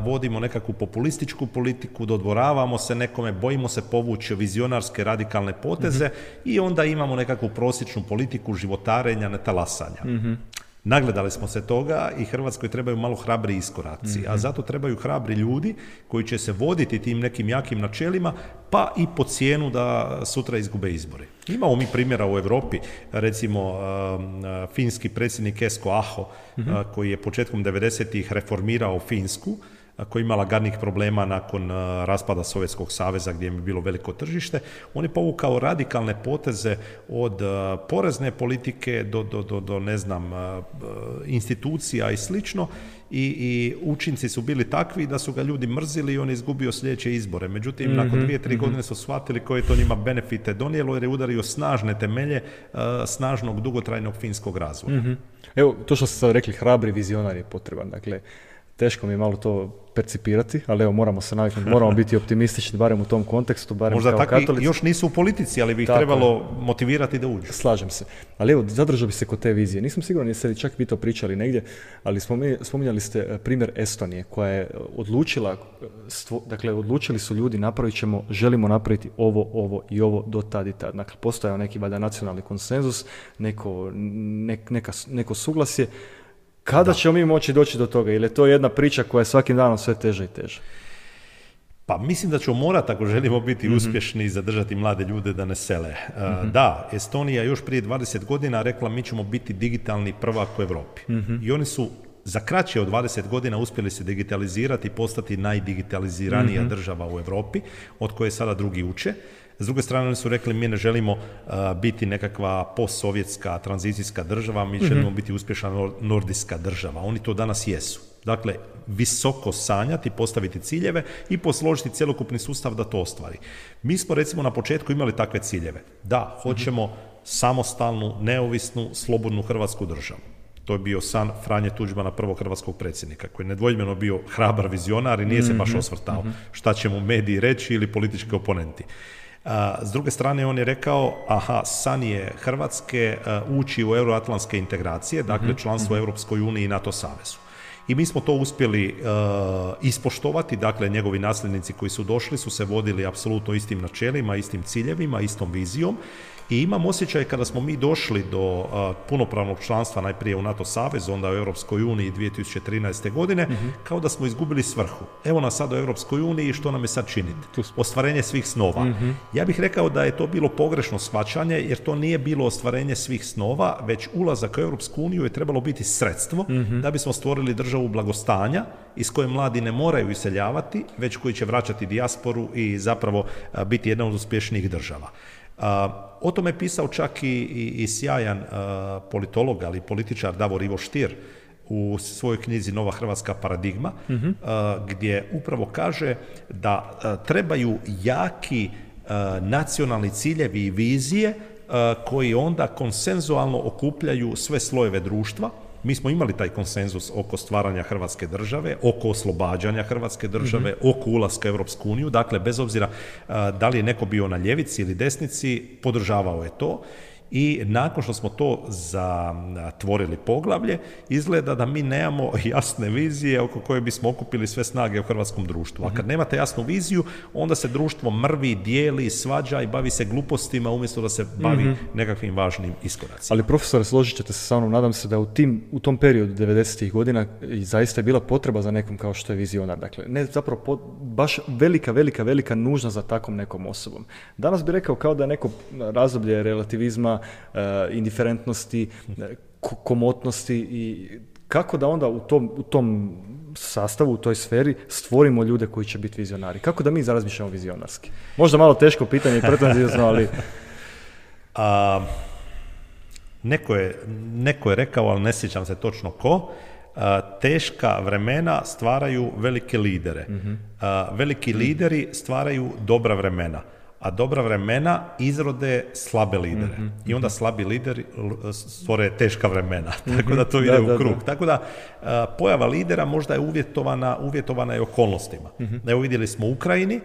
vodimo nekakvu populističku politiku, dodvoravamo se nekome, bojimo se povući vizionarske radikalne poteze i onda imamo nekakvu prosječnu politiku životarenja, netalasanja. Nagledali smo se toga i Hrvatskoj trebaju malo hrabri iskoraci, a zato trebaju hrabri ljudi koji će se voditi tim nekim jakim načelima, pa i po cijenu da sutra izgube izbore. Imamo mi primjera u Europi, recimo finski predsjednik Esko Aho, koji je početkom 90-ih reformirao Finsku, koja je imala gadnih problema nakon raspada Sovjetskog saveza gdje je bilo veliko tržište. On je povukao radikalne poteze od porezne politike do ne znam, institucija i slično i učinci su bili takvi da su ga ljudi mrzili i on je izgubio sljedeće izbore. Međutim, nakon 2-3 godine su shvatili koje to njima benefite donijelo jer je udario snažne temelje snažnog dugotrajnog finskog razvoja. Evo, to što ste sad rekli, hrabri vizionar je potreban. Dakle, teško mi je malo to percipirati, ali evo, moramo se naviknuti, moramo biti optimistični, barem u tom kontekstu, barem možda kao katolici. Možda još nisu u politici, ali bi ih trebalo motivirati da uđu. Slažem se. Ali evo, zadržao bi se kod te vizije. Nisam siguran jeste li čak vi to pričali negdje, ali spominjali ste primjer Estonije, koja je odlučila, dakle, odlučili su ljudi, želimo napraviti ovo i ovo do tad i tad. Dakle, postojao neki valjda nacionalni konsenzus, neko suglasje. Kada ćemo mi moći doći do toga? Ili je to jedna priča koja je svakim danom sve teže i teže? Pa mislim da ćemo morati, ako želimo biti uspješni i zadržati mlade ljude da ne sele. Da, Estonija još prije 20 godina rekla mi ćemo biti digitalni prvak u Europi. I oni su za kraće od 20 godina uspjeli se digitalizirati i postati najdigitaliziranija država u Europi, od koje sada drugi uče. S druge strane, oni su rekli mi ne želimo biti nekakva postsovjetska tranzicijska država, mi želimo biti uspješna nordijska država. Oni to danas jesu. Dakle, visoko sanjati, postaviti ciljeve i posložiti cjelokupni sustav da to ostvari. Mi smo recimo na početku imali takve ciljeve. Da, hoćemo samostalnu, neovisnu, slobodnu hrvatsku državu. To je bio san Franje Tuđmana, prvog hrvatskog predsjednika, koji je nedvojbeno bio hrabar vizionar i nije se baš osvrtao šta će mu mediji reći ili politički oponenti. S druge strane, on je rekao, san je Hrvatske ući u euroatlantske integracije, dakle članstvo u Europskoj uniji i NATO savezu. I mi smo to uspjeli ispoštovati, dakle njegovi nasljednici koji su došli su se vodili apsolutno istim načelima, istim ciljevima, istom vizijom. I imam osjećaj kada smo mi došli do punopravnog članstva najprije u NATO savezu, onda u Europskoj uniji 2013. godine, kao da smo izgubili svrhu. Evo nas sad u Europskoj uniji, što nam je sad činiti? Ostvarenje svih snova. Ja bih rekao da je to bilo pogrešno shvaćanje, jer to nije bilo ostvarenje svih snova, već ulazak u Europsku uniju je trebalo biti sredstvo da bismo stvorili državu blagostanja iz koje mladi ne moraju iseljavati, već koji će vraćati dijasporu i zapravo biti jedna od uspješnijih država. O tome je pisao čak i sjajan politolog, ali političar Davor Ivo Stier u svojoj knjizi Nova hrvatska paradigma, gdje upravo kaže da trebaju jaki nacionalni ciljevi i vizije koji onda konsenzualno okupljaju sve slojeve društva. Mi smo imali taj konsenzus oko stvaranja Hrvatske države, oko oslobađanja Hrvatske države, oko ulaska u Europsku uniju. Dakle, bez obzira da li je neko bio na ljevici ili desnici, podržavao je to. I nakon što smo to zatvorili poglavlje, izgleda da mi nemamo jasne vizije oko koje bismo okupili sve snage u hrvatskom društvu. A kad nemate jasnu viziju, onda se društvo mrvi, dijeli, svađa i bavi se glupostima umjesto da se bavi nekakvim važnim iskoracima. Ali profesore, složit ćete se sa mnom, nadam se da u tom periodu 90-ih godina zaista je bila potreba za nekom kao što je vizionar. Dakle, ne zapravo baš velika nužna za takvom nekom osobom. Danas bih rekao kao da je neko razdoblje relativizma, indiferentnosti, komotnosti i kako da onda u tom sastavu, u toj sferi stvorimo ljude koji će biti vizionari. Kako da mi razmišljamo vizionarski? Možda malo teško pitanje i pretenzijozno, ali... Neko je rekao, ali ne sjećam se točno ko, teška vremena stvaraju velike lidere. Veliki lideri stvaraju dobra vremena. A dobra vremena izrode slabe lidere. I onda slabi lideri stvore teška vremena. Tako da to ide u krug. Tako da pojava lidera možda je uvjetovana i okolnostima. Evo vidjeli smo u Ukrajini,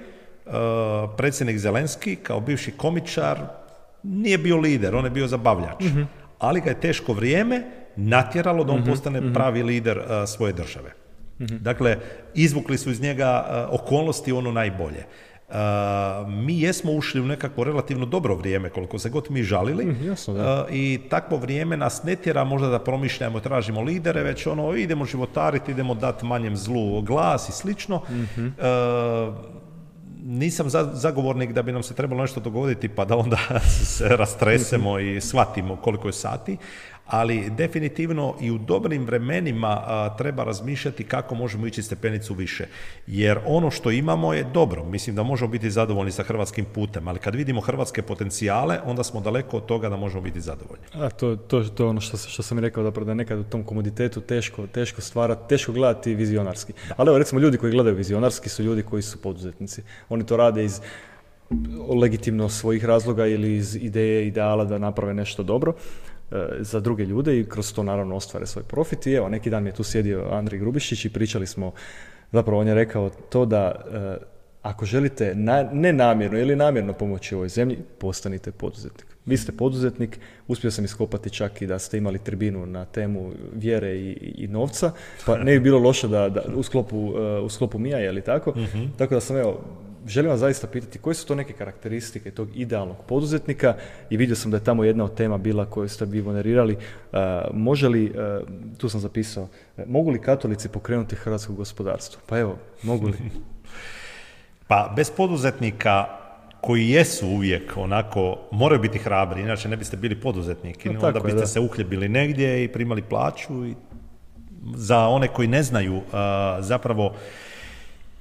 predsjednik Zelenski kao bivši komičar nije bio lider, on je bio zabavljač. Ali ga je teško vrijeme natjeralo da on postane pravi lider svoje države. Dakle, izvukli su iz njega okolnosti ono najbolje. Mi jesmo ušli u nekako relativno dobro vrijeme, koliko se god mi žalili, i takvo vrijeme nas ne tjera možda da promišljamo, tražimo lidere, već idemo životariti, idemo dati manjem zlu glas i slično. Nisam zagovornik da bi nam se trebalo nešto dogoditi pa da onda se rastresemo i shvatimo koliko je sati, ali definitivno i u dobrim vremenima treba razmišljati kako možemo ići stepenicu više. Jer ono što imamo je dobro. Mislim da možemo biti zadovoljni sa hrvatskim putem, ali kad vidimo hrvatske potencijale, onda smo daleko od toga da možemo biti zadovoljni. To je ono što sam i rekao, da je nekad u tom komoditetu teško stvarati, teško gledati vizionarski. Ali evo, recimo, ljudi koji gledaju vizionarski su ljudi koji su poduzetnici. Oni to rade iz legitimno svojih razloga ili iz ideala da naprave nešto dobro za druge ljude i kroz to naravno ostvare svoj profit. I evo, neki dan mi je tu sjedio Andrej Grubišić i pričali smo, zapravo on je rekao to da ako želite nenamjerno ili namjerno pomoći ovoj zemlji, postanite poduzetnik. Vi ste poduzetnik, uspio sam iskopati čak i da ste imali tribinu na temu vjere i novca, pa ne bi bilo loše da u sklopu MIA, je li tako? Tako da sam, evo, želim vas zaista pitati koje su to neke karakteristike tog idealnog poduzetnika i vidio sam da je tamo jedna od tema bila koju ste vi generirali. Može li, tu sam zapisao, mogu li katolici pokrenuti hrvatsko gospodarstvo? Pa evo, mogu li? Pa bez poduzetnika koji jesu uvijek onako, moraju biti hrabri, inače ne biste bili poduzetnik, onda biste se uhljebili negdje i primali plaću. I za one koji ne znaju, zapravo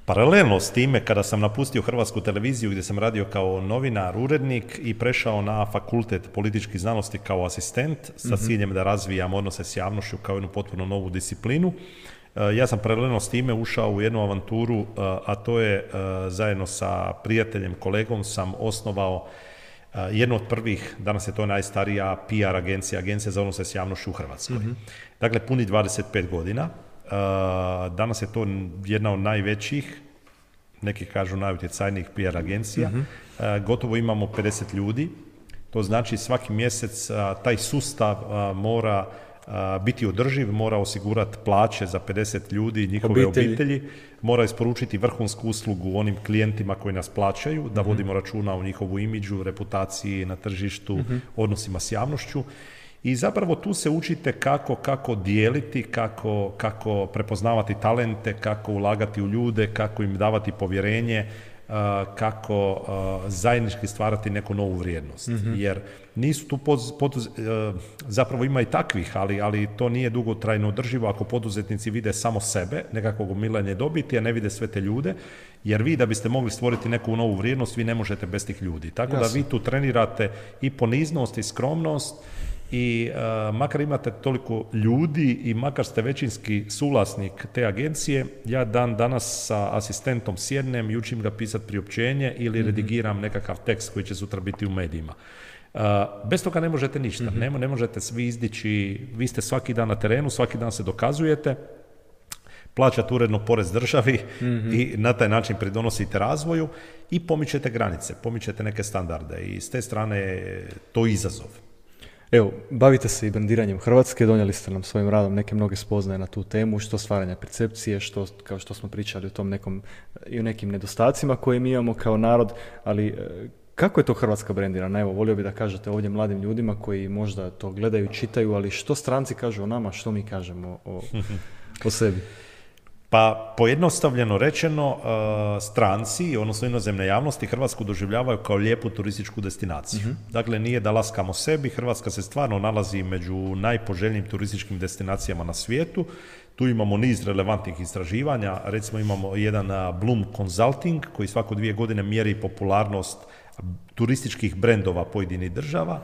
paralelno s time, kada sam napustio Hrvatsku televiziju gdje sam radio kao novinar, urednik i prešao na fakultet političkih znanosti kao asistent sa ciljem da razvijam odnose s javnošću kao jednu potpuno novu disciplinu, ja sam paralelno s time ušao u jednu avanturu, a to je zajedno sa prijateljem, kolegom sam osnovao jednu od prvih, danas je to najstarija PR agencija za odnose s javnošću u Hrvatskoj. Dakle, puni 25 godina. Danas je to jedna od najvećih, neki kažu najutjecajnijih PR agencija. Gotovo imamo 50 ljudi. To znači svaki mjesec taj sustav mora biti održiv, mora osigurati plaće za 50 ljudi i njihove obitelji, mora isporučiti vrhunsku uslugu onim klijentima koji nas plaćaju, da vodimo računa o njihovu imidžu, reputaciji na tržištu, odnosima s javnošću. I zapravo tu se učite kako dijeliti, kako prepoznavati talente, kako ulagati u ljude, kako im davati povjerenje, kako zajednički stvarati neku novu vrijednost. Jer nisu tu zapravo ima i takvih, ali to nije dugotrajno održivo ako poduzetnici vide samo sebe, nekakvog gomilanja dobiti, a ne vide sve te ljude, jer vi da biste mogli stvoriti neku novu vrijednost, vi ne možete bez tih ljudi. Tako da vi tu trenirate i poniznost i skromnost i makar imate toliko ljudi i makar ste većinski suvlasnik te agencije, ja danas sa asistentom sjednem i učim ga pisati priopćenje ili redigiram nekakav tekst koji će sutra biti u medijima. Bez toga ne možete ništa, ne možete svi izdići, vi ste svaki dan na terenu, svaki dan se dokazujete, plaćate uredno porez državi i na taj način pridonosite razvoju i pomičete granice, pomičete neke standarde i s te strane je to izazov. Evo, bavite se i brendiranjem Hrvatske, donijeli ste nam svojim radom neke mnoge spoznaje na tu temu, što stvaranja percepcije, što, kao što smo pričali o tom nekom, i o nekim nedostacima koje mi imamo kao narod, ali kako je to Hrvatska brendirana? Evo, volio bih da kažete ovdje mladim ljudima koji možda to gledaju, čitaju, ali što stranci kažu o nama, što mi kažemo o sebi? Pa pojednostavljeno rečeno, stranci, odnosno inozemne javnosti, Hrvatsku doživljavaju kao lijepu turističku destinaciju. Dakle, nije da laskamo sebi, Hrvatska se stvarno nalazi među najpoželjnijim turističkim destinacijama na svijetu. Tu imamo niz relevantnih istraživanja, recimo imamo jedan Bloom Consulting koji svako 2 godine mjeri popularnost turističkih brendova pojedinih država.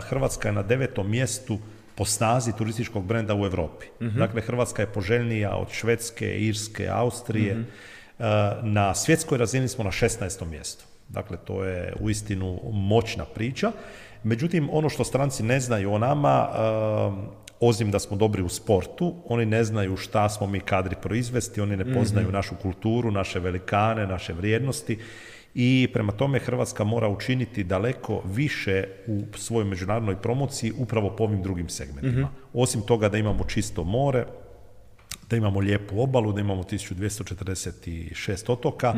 Hrvatska je na 9. mjestu po snazi turističkog brenda u Europi. Dakle, Hrvatska je poželjnija od Švedske, Irske, Austrije. Na svjetskoj razini smo na 16. mjestu. Dakle, to je uistinu moćna priča. Međutim, ono što stranci ne znaju o nama, osim da smo dobri u sportu, oni ne znaju šta smo mi kadri proizvesti, oni ne poznaju našu kulturu, naše velikane, naše vrijednosti. I prema tome Hrvatska mora učiniti daleko više u svojoj međunarodnoj promociji upravo po ovim drugim segmentima. Osim toga da imamo čisto more, da imamo lijepu obalu, da imamo 1246 otoka,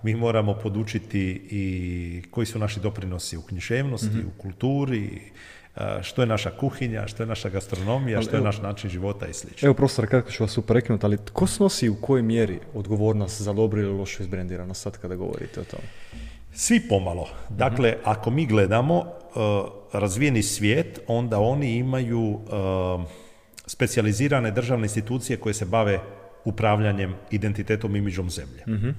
mi moramo podučiti i koji su naši doprinosi u književnosti, u kulturi, što je naša kuhinja, što je naša gastronomija, što je naš način života i slično. Evo, profesor, kako ću vas uprekinuti, ali tko snosi u kojoj mjeri odgovornost za dobro ili lošu izbrendiranost sad kada govorite o tome? Svi pomalo. Dakle, ako mi gledamo razvijeni svijet, onda oni imaju specijalizirane državne institucije koje se bave upravljanjem identitetom i imidžom zemlje.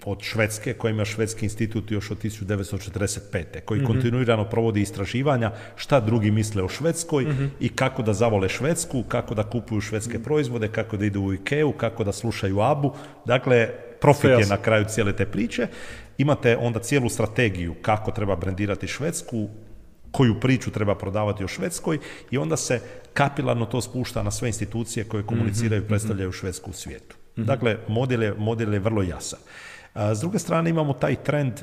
Od Švedske, koja ima Švedski institut još od 1945. koji kontinuirano provodi istraživanja šta drugi misle o Švedskoj i kako da zavole Švedsku, kako da kupuju švedske proizvode, kako da idu u Ikeu, kako da slušaju ABBU. Dakle, profit je na kraju cijele te priče. Imate onda cijelu strategiju kako treba brendirati Švedsku, koju priču treba prodavati o Švedskoj i onda se kapilarno to spušta na sve institucije koje komuniciraju i predstavljaju Švedsku u svijetu. Dakle, model je vrlo jasan. S druge strane imamo taj trend,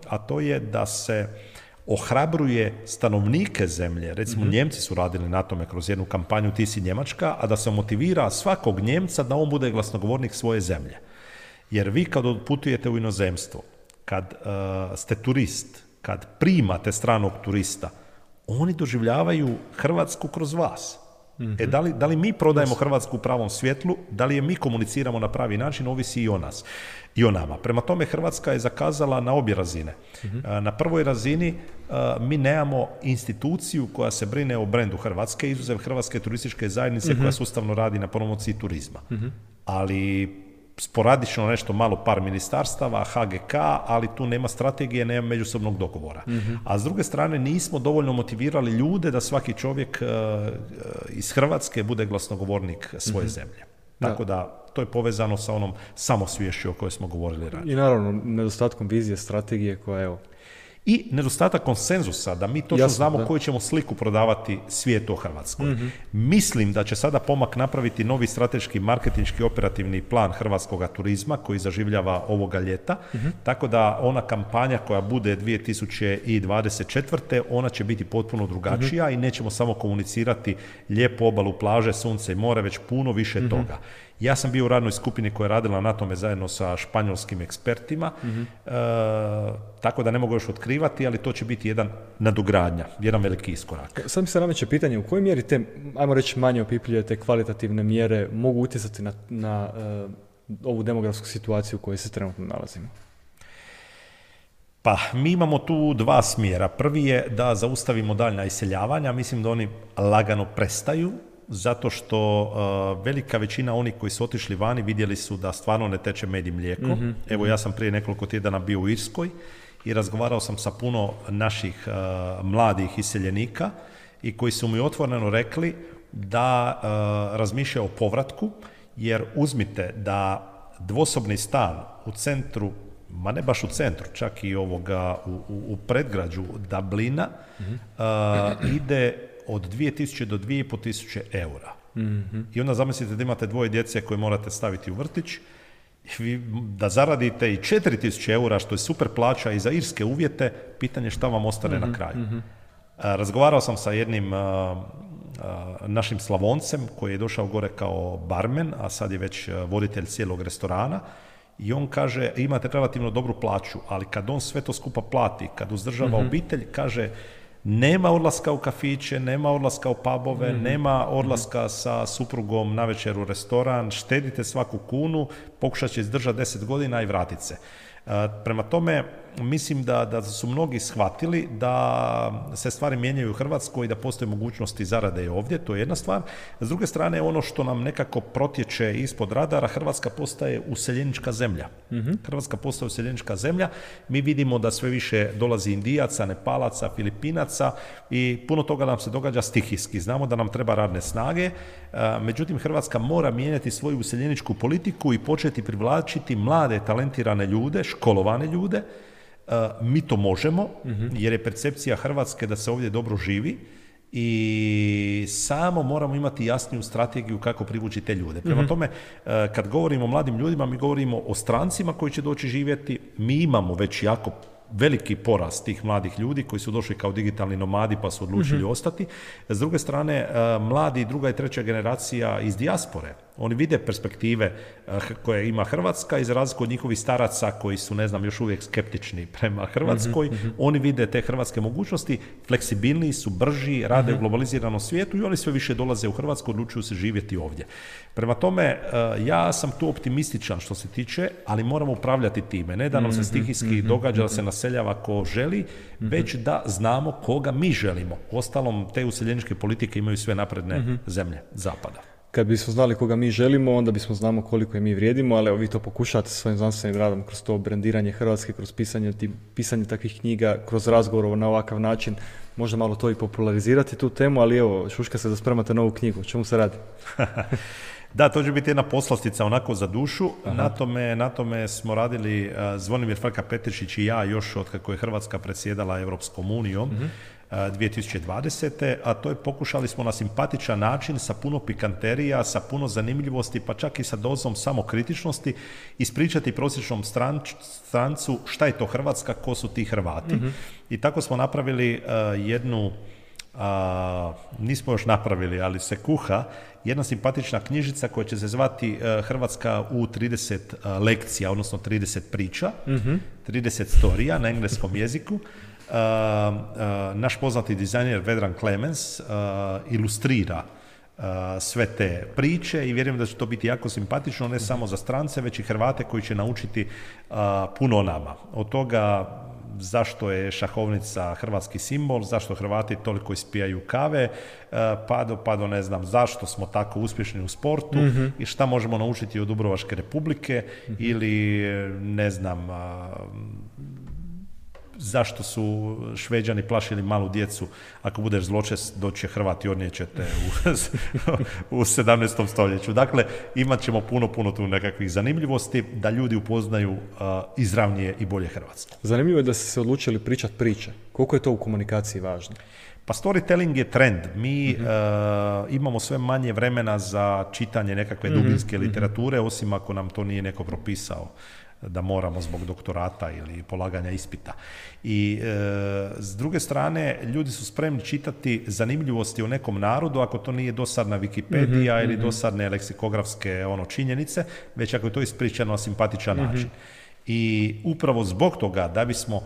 a to je da se ohrabruje stanovnike zemlje, recimo Njemci su radili na tome kroz jednu kampanju Ti si Njemačka, a da se motivira svakog Njemca da on bude glasnogovornik svoje zemlje. Jer vi kad odputujete u inozemstvo, kad ste turist, kad primate stranog turista, oni doživljavaju Hrvatsku kroz vas. Da li mi prodajemo Hrvatsku u pravom svjetlu, da li je mi komuniciramo na pravi način, ovisi i o nas i o nama. Prema tome Hrvatska je zakazala na obje razine. Na prvoj razini mi nemamo instituciju koja se brine o brendu Hrvatske, izuzev Hrvatske turističke zajednice koja sustavno radi na promociji turizma. Ali sporadično nešto malo par ministarstava, HGK, ali tu nema strategije, nema međusobnog dogovora. A s druge strane nismo dovoljno motivirali ljude da svaki čovjek iz Hrvatske bude glasnogovornik svoje zemlje. Tako da to je povezano sa onom samosviješću o kojoj smo govorili ranije. I naravno nedostatkom vizije, strategije koja evo. I nedostatak konsenzusa, da mi točno znamo koju ćemo sliku prodavati svijetu o Hrvatskoj. Mislim da će sada pomak napraviti novi strateški, marketinški, operativni plan hrvatskog turizma koji zaživljava ovoga ljeta, tako da ona kampanja koja bude 2024. ona će biti potpuno drugačija i nećemo samo komunicirati lijepu obalu, plaže, sunce i more, već puno više toga. Ja sam bio u radnoj skupini koja je radila na tome zajedno sa španjolskim ekspertima, tako da ne mogu još otkrivati, ali to će biti jedan nadogradnja, jedan veliki iskorak. Sad mi se nameće pitanje, u kojoj mjeri te, ajmo reći, manje opipljive te kvalitativne mjere mogu utjecati na ovu demografsku situaciju u kojoj se trenutno nalazimo? Pa, mi imamo tu dva smjera. Prvi je da zaustavimo daljnja iseljavanja, mislim da oni lagano prestaju, zato što velika većina onih koji su otišli vani vidjeli su da stvarno ne teče med i mlijeko. Evo, ja sam prije nekoliko tjedana bio u Irskoj i razgovarao sam sa puno naših mladih iseljenika i koji su mi otvoreno rekli da razmišljaju o povratku, jer uzmite da dvosobni stan u centru, ma ne baš u centru, čak i u predgrađu Dublina, ide od 2000 do 2500 eura. I onda zamislite da imate dvoje djece koje morate staviti u vrtić, da zaradite i 4000 eura, što je super plaća i za irske uvjete, pitanje šta vam ostane na kraju. Razgovarao sam sa jednim našim Slavoncem koji je došao gore kao barmen, a sad je već voditelj cijelog restorana, i on kaže, imate relativno dobru plaću, ali kad on sve to skupa plati, kad uzdržava obitelj, kaže, nema odlaska u kafiće, nema odlaska u pubove, nema odlaska sa suprugom navečer u restoran, štedite svaku kunu, pokušat će izdržati 10 godina i vratit se. Prema tome, mislim da su mnogi shvatili da se stvari mijenjaju u Hrvatskoj i da postoje mogućnosti zarade i ovdje, to je jedna stvar. S druge strane, ono što nam nekako protječe ispod radara, Hrvatska postaje useljenička zemlja. Hrvatska postaje useljenička zemlja, mi vidimo da sve više dolazi Indijaca, Nepalaca, Filipinaca i puno toga nam se događa stihijski. Znamo da nam treba radne snage, međutim Hrvatska mora mijenjati svoju useljeničku politiku i početi privlačiti mlade, talentirane ljude, školovane ljude. Mi to možemo, jer je percepcija Hrvatske da se ovdje dobro živi i samo moramo imati jasniju strategiju kako privući te ljude. Prema tome, kad govorimo o mladim ljudima, mi govorimo o strancima koji će doći živjeti. Mi imamo već jako veliki porast tih mladih ljudi koji su došli kao digitalni nomadi pa su odlučili ostati. S druge strane, mladi druga i treća generacija iz dijaspore, oni vide perspektive koje ima Hrvatska i za razliku od njihovih staraca koji su, ne znam, još uvijek skeptični prema Hrvatskoj, oni vide te hrvatske mogućnosti, fleksibilniji su, brži, rade u globaliziranom svijetu i oni sve više dolaze u Hrvatsku, odlučuju se živjeti ovdje. Prema tome, ja sam tu optimističan što se tiče, ali moramo upravljati time, ne da nam se stihijski događa da se naseljava ko želi, već da znamo koga mi želimo. Uostalom, te useljeničke politike imaju sve napredne zemlje zapada. Kad bismo znali koga mi želimo, onda bismo znamo koliko je mi vrijedimo, ali evo vi to pokušate svojim znanstvenim radom kroz to brendiranje Hrvatske, kroz pisanje takvih knjiga, kroz razgovor na ovakav način, možda malo to i popularizirati tu temu, ali evo, šuška se da spremate novu knjigu, o čemu se radi? Da, to će biti jedna poslastica onako za dušu. Na tome smo radili Zvonimir Frka Petrišić i ja još od kako je Hrvatska predsjedala Europskom unijom 2020. A to je pokušali smo na simpatičan način sa puno pikanterija, sa puno zanimljivosti, pa čak i sa dozom samokritičnosti ispričati prosječnom strancu šta je to Hrvatska, ko su ti Hrvati. I tako smo napravili jednu, nismo još napravili, ali se kuha, jedna simpatična knjižica koja će se zvati Hrvatska u 30 lekcija, odnosno 30 priča, 30 storija na engleskom jeziku. Naš poznati dizajner Vedran Clemens ilustrira sve te priče i vjerujem da će to biti jako simpatično, ne samo za strance, već i Hrvate koji će naučiti puno o nama. Od toga zašto je šahovnica hrvatski simbol, zašto Hrvati toliko ispijaju kave, pa do ne znam zašto smo tako uspješni u sportu i šta možemo naučiti od Dubrovačke Republike ili ne znam zašto su Šveđani plašili malu djecu, ako budeš zločest doće Hrvat i odnijećete u 17. stoljeću. Dakle, imat ćemo puno tu nekakvih zanimljivosti da ljudi upoznaju izravnije i bolje Hrvatsku. Zanimljivo je da ste se odlučili pričati priče. Koliko je to u komunikaciji važno? Pa storytelling je trend. Mi imamo sve manje vremena za čitanje nekakve dubinske literature, osim ako nam to nije neko propisao da moramo zbog doktorata ili polaganja ispita. I s druge strane, ljudi su spremni čitati zanimljivosti o nekom narodu ako to nije dosadna Wikipedija ili dosadne leksikografske činjenice, već ako je to ispričano na simpatičan način. I upravo zbog toga, da bismo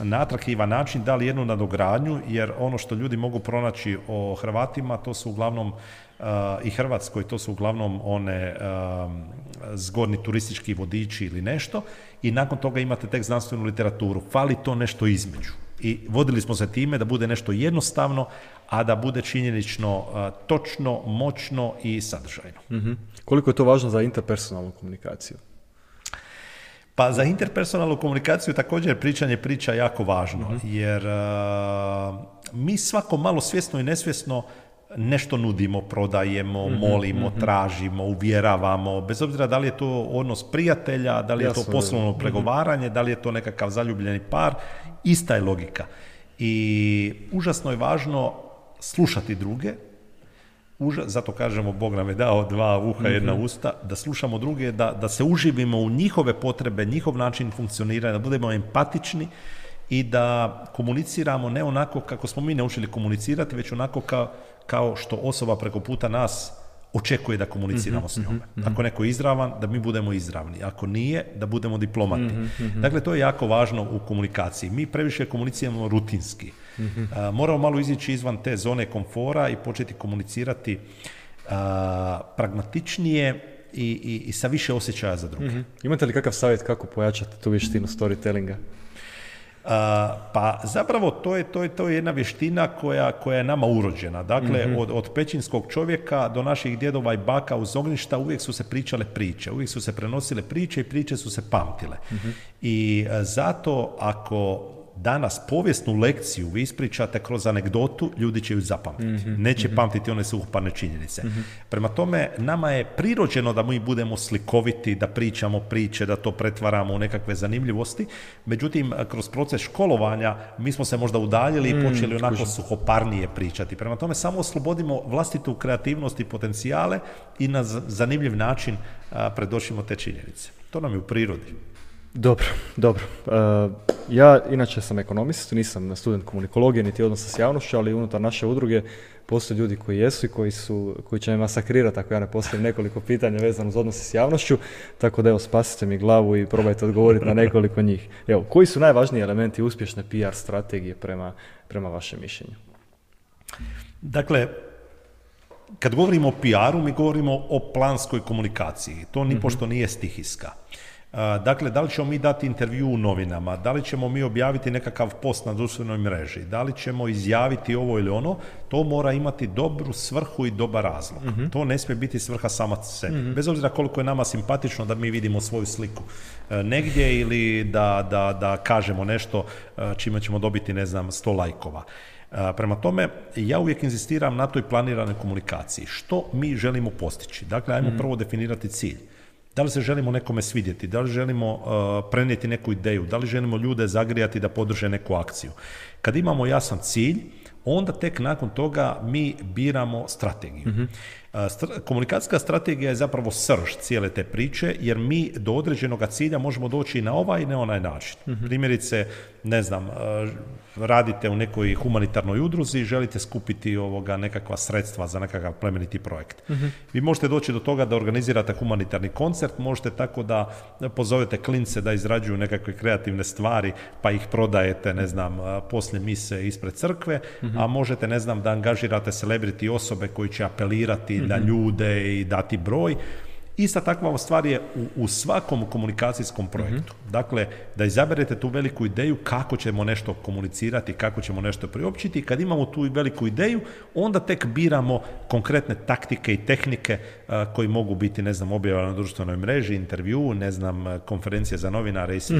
na atraktivan način dali jednu nadogradnju, jer ono što ljudi mogu pronaći o Hrvatima, to su uglavnom i Hrvatskoj, to su uglavnom one zgodni turistički vodiči ili nešto, i nakon toga imate tek znanstvenu literaturu. Fali to nešto između. I vodili smo se time da bude nešto jednostavno, a da bude činjenično točno, moćno i sadržajno. Koliko je to važno za interpersonalnu komunikaciju? Pa za interpersonalnu komunikaciju također pričanje priča jako važno, jer mi svako malo svjesno i nesvjesno nešto nudimo, prodajemo, molimo, tražimo, uvjeravamo, bez obzira da li je to odnos prijatelja, da li je to poslovno pregovaranje, da li je to nekakav zaljubljeni par, ista je logika. I užasno je važno slušati druge, zato kažemo Bog nam je dao 2 uha, 1 usta, da slušamo druge, da se uživimo u njihove potrebe, njihov način funkcioniranja, da budemo empatični i da komuniciramo ne onako kako smo mi naučili komunicirati, već onako kao što osoba preko puta nas očekuje da komuniciramo s njome. Ako neko je izravan, da mi budemo izravni. Ako nije, da budemo diplomati. Dakle, to je jako važno u komunikaciji. Mi previše komuniciramo rutinski. Moramo malo izići izvan te zone komfora i početi komunicirati pragmatičnije i sa više osjećaja za druge. Imate li kakav savjet kako pojačati tu vještinu storytellinga? Pa zapravo to je jedna vještina koja je nama urođena. Dakle, od pećinskog čovjeka do naših djedova i baka uz ognjišta uvijek su se pričale priče, uvijek su se prenosile priče i priče su se pamtile. I zato ako danas povijesnu lekciju vi ispričate kroz anegdotu, ljudi će ju zapamtiti. Neće pamtiti one suhoparne činjenice. Prema tome, nama je prirođeno da mi budemo slikoviti, da pričamo priče, da to pretvaramo u nekakve zanimljivosti. Međutim, kroz proces školovanja mi smo se možda udaljili i počeli onako suhoparnije pričati. Prema tome, samo oslobodimo vlastitu kreativnost i potencijale i na zanimljiv način predočimo te činjenice. To nam je u prirodi. Dobro. Ja inače sam ekonomist, nisam student komunikologije niti odnosa s javnošću, ali unutar naše udruge postoje ljudi koji jesu i koji će me masakrirati ako ja ne postavim nekoliko pitanja vezano uz odnose s javnošću, tako da evo spasite mi glavu i probajte odgovoriti na nekoliko njih. Evo, koji su najvažniji elementi uspješne PR strategije prema vašem mišljenju? Dakle, kad govorimo o PR-u, mi govorimo o planskoj komunikaciji. To nipošto nije stihijska. Dakle, da li ćemo mi dati intervju u novinama, da li ćemo mi objaviti nekakav post na društvenoj mreži, da li ćemo izjaviti ovo ili ono, to mora imati dobru svrhu i dobar razlog. To ne smije biti svrha sama sebi. Bez obzira koliko je nama simpatično da mi vidimo svoju sliku negdje ili da kažemo nešto čime ćemo dobiti, 100 lajkova. Prema tome, ja uvijek inzistiram na toj planiranoj komunikaciji. Što mi želimo postići? Dakle, ajmo prvo definirati cilj. Da li se želimo nekome svidjeti, da li želimo prenijeti neku ideju, da li želimo ljude zagrijati da podrže neku akciju. Kad imamo jasan cilj, onda tek nakon toga mi biramo strategiju. Komunikacijska strategija je zapravo srž cijele te priče, jer mi do određenog cilja možemo doći i na ovaj i na onaj način. Primjerice, radite u nekoj humanitarnoj udruzi, želite skupiti nekakva sredstva za nekakav plemeniti projekt. Vi možete doći do toga da organizirate humanitarni koncert, možete tako da pozovete klince da izrađuju nekakve kreativne stvari, pa ih prodajete, poslije mise ispred crkve, a možete, da angažirate celebrity osobe koji će apelirati na ljude i dati broj. Ista takva stvar je u svakom komunikacijskom projektu. Dakle, da izaberete tu veliku ideju kako ćemo nešto komunicirati, kako ćemo nešto priopćiti. Kad imamo tu veliku ideju, onda tek biramo konkretne taktike i tehnike koji mogu biti, objava na društvenoj mreži, intervju, konferencije za novinare i sl.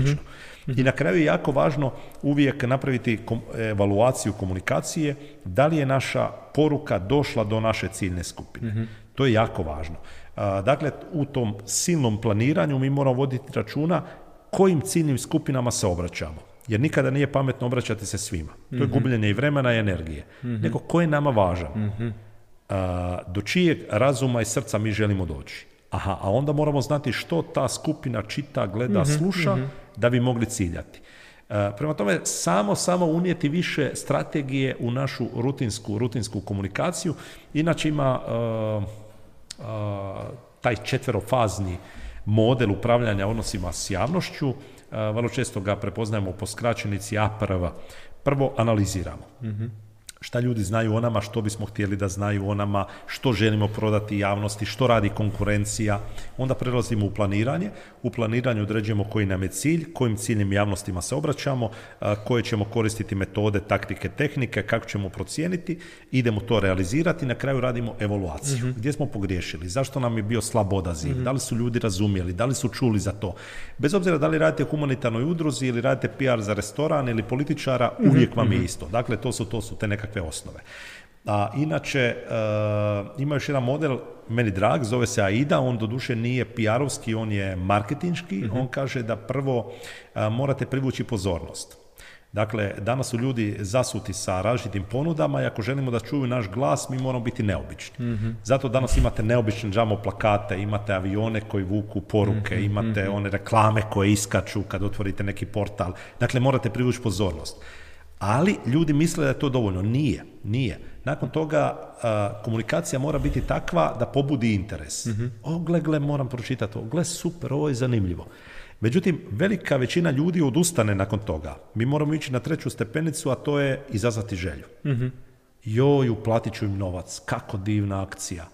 I na kraju je jako važno uvijek napraviti evaluaciju komunikacije, da li je naša poruka došla do naše ciljne skupine. To je jako važno. Dakle, u tom silnom planiranju mi moramo voditi računa kojim ciljnim skupinama se obraćamo. Jer nikada nije pametno obraćati se svima. To je gubljenje i vremena i energije. Nego ko je nama važan. Do čijeg razuma i srca mi želimo doći. A onda moramo znati što ta skupina čita, gleda, sluša da bi mogli ciljati. Prema tome, samo unijeti više strategije u našu rutinsku komunikaciju. Inače ima taj 4-fazni model upravljanja odnosima s javnošću. Vrlo često ga prepoznajemo po skraćenici APRV. Prvo analiziramo. šta ljudi znaju o nama, što bismo htjeli da znaju o nama, što želimo prodati javnosti, što radi konkurencija. Onda prelazimo u planiranje. U planiranju određujemo koji nam je cilj, kojim ciljnim javnostima se obraćamo, koje ćemo koristiti metode, taktike, tehnike, kako ćemo procijeniti, idemo to realizirati i na kraju radimo evaluaciju. Gdje smo pogriješili, zašto nam je bio slab odaziv, da li su ljudi razumjeli, da li su čuli za to. Bez obzira da li radite u humanitarnoj udruzi ili radite PR za restoran ili političara, uvijek vam je isto. Dakle, to su te nekakve osnove. A inače, ima još jedan model, meni drag, zove se AIDA, on doduše nije PR-ovski, on je marketinški, on kaže da prvo morate privući pozornost. Dakle, danas su ljudi zasuti sa različitim ponudama i ako želimo da čuju naš glas, mi moramo biti neobični. Zato danas imate neobične džamo plakate, imate avione koji vuku poruke, imate one reklame koje iskaču kad otvorite neki portal. Dakle, morate privući pozornost. Ali ljudi misle da je to dovoljno. Nije. Nakon toga komunikacija mora biti takva da pobudi interes. Gle, moram pročitati ovo. Gle, super, ovo je zanimljivo. Međutim, velika većina ljudi odustane nakon toga. Mi moramo ići na 3. stepenicu, a to je izazvati želju. Joj, uplatit ću im novac. Kako divna akcija.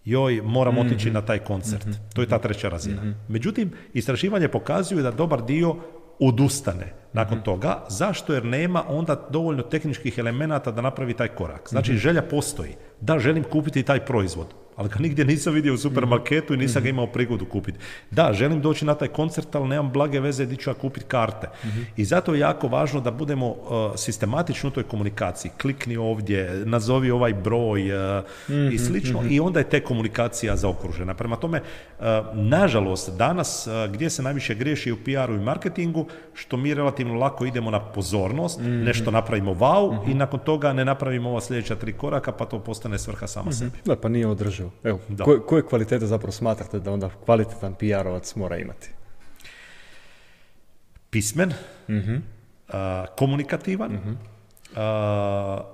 Joj, moram otići na taj koncert. To je ta 3. razina. Međutim, istraživanje pokazuju da dobar dio odustane nakon toga. Zašto? Jer nema onda dovoljno tehničkih elemenata da napravi taj korak. Znači, želja postoji. Da, želim kupiti taj proizvod, ali ga nigdje nisam vidio u supermarketu i nisam ga imao prigodu kupiti. Da, želim doći na taj koncert, ali nemam blage veze gdje ću ja kupiti karte. I zato je jako važno da budemo sistematični u toj komunikaciji. Klikni ovdje, nazovi ovaj broj i slično, i onda je te komunikacija zaokružena. Prema tome, nažalost, danas gdje se najviše griješi u PR-u i marketingu, što mi relativno lako idemo na pozornost, nešto napravimo wow i nakon toga ne napravimo ova sljedeća 3 koraka, pa to postane svrha sama sebi. Da, pa nije održivo. Evo, koje kvalitete zapravo smatrate da onda kvalitetan PR-ovac mora imati? Pismen, komunikativan,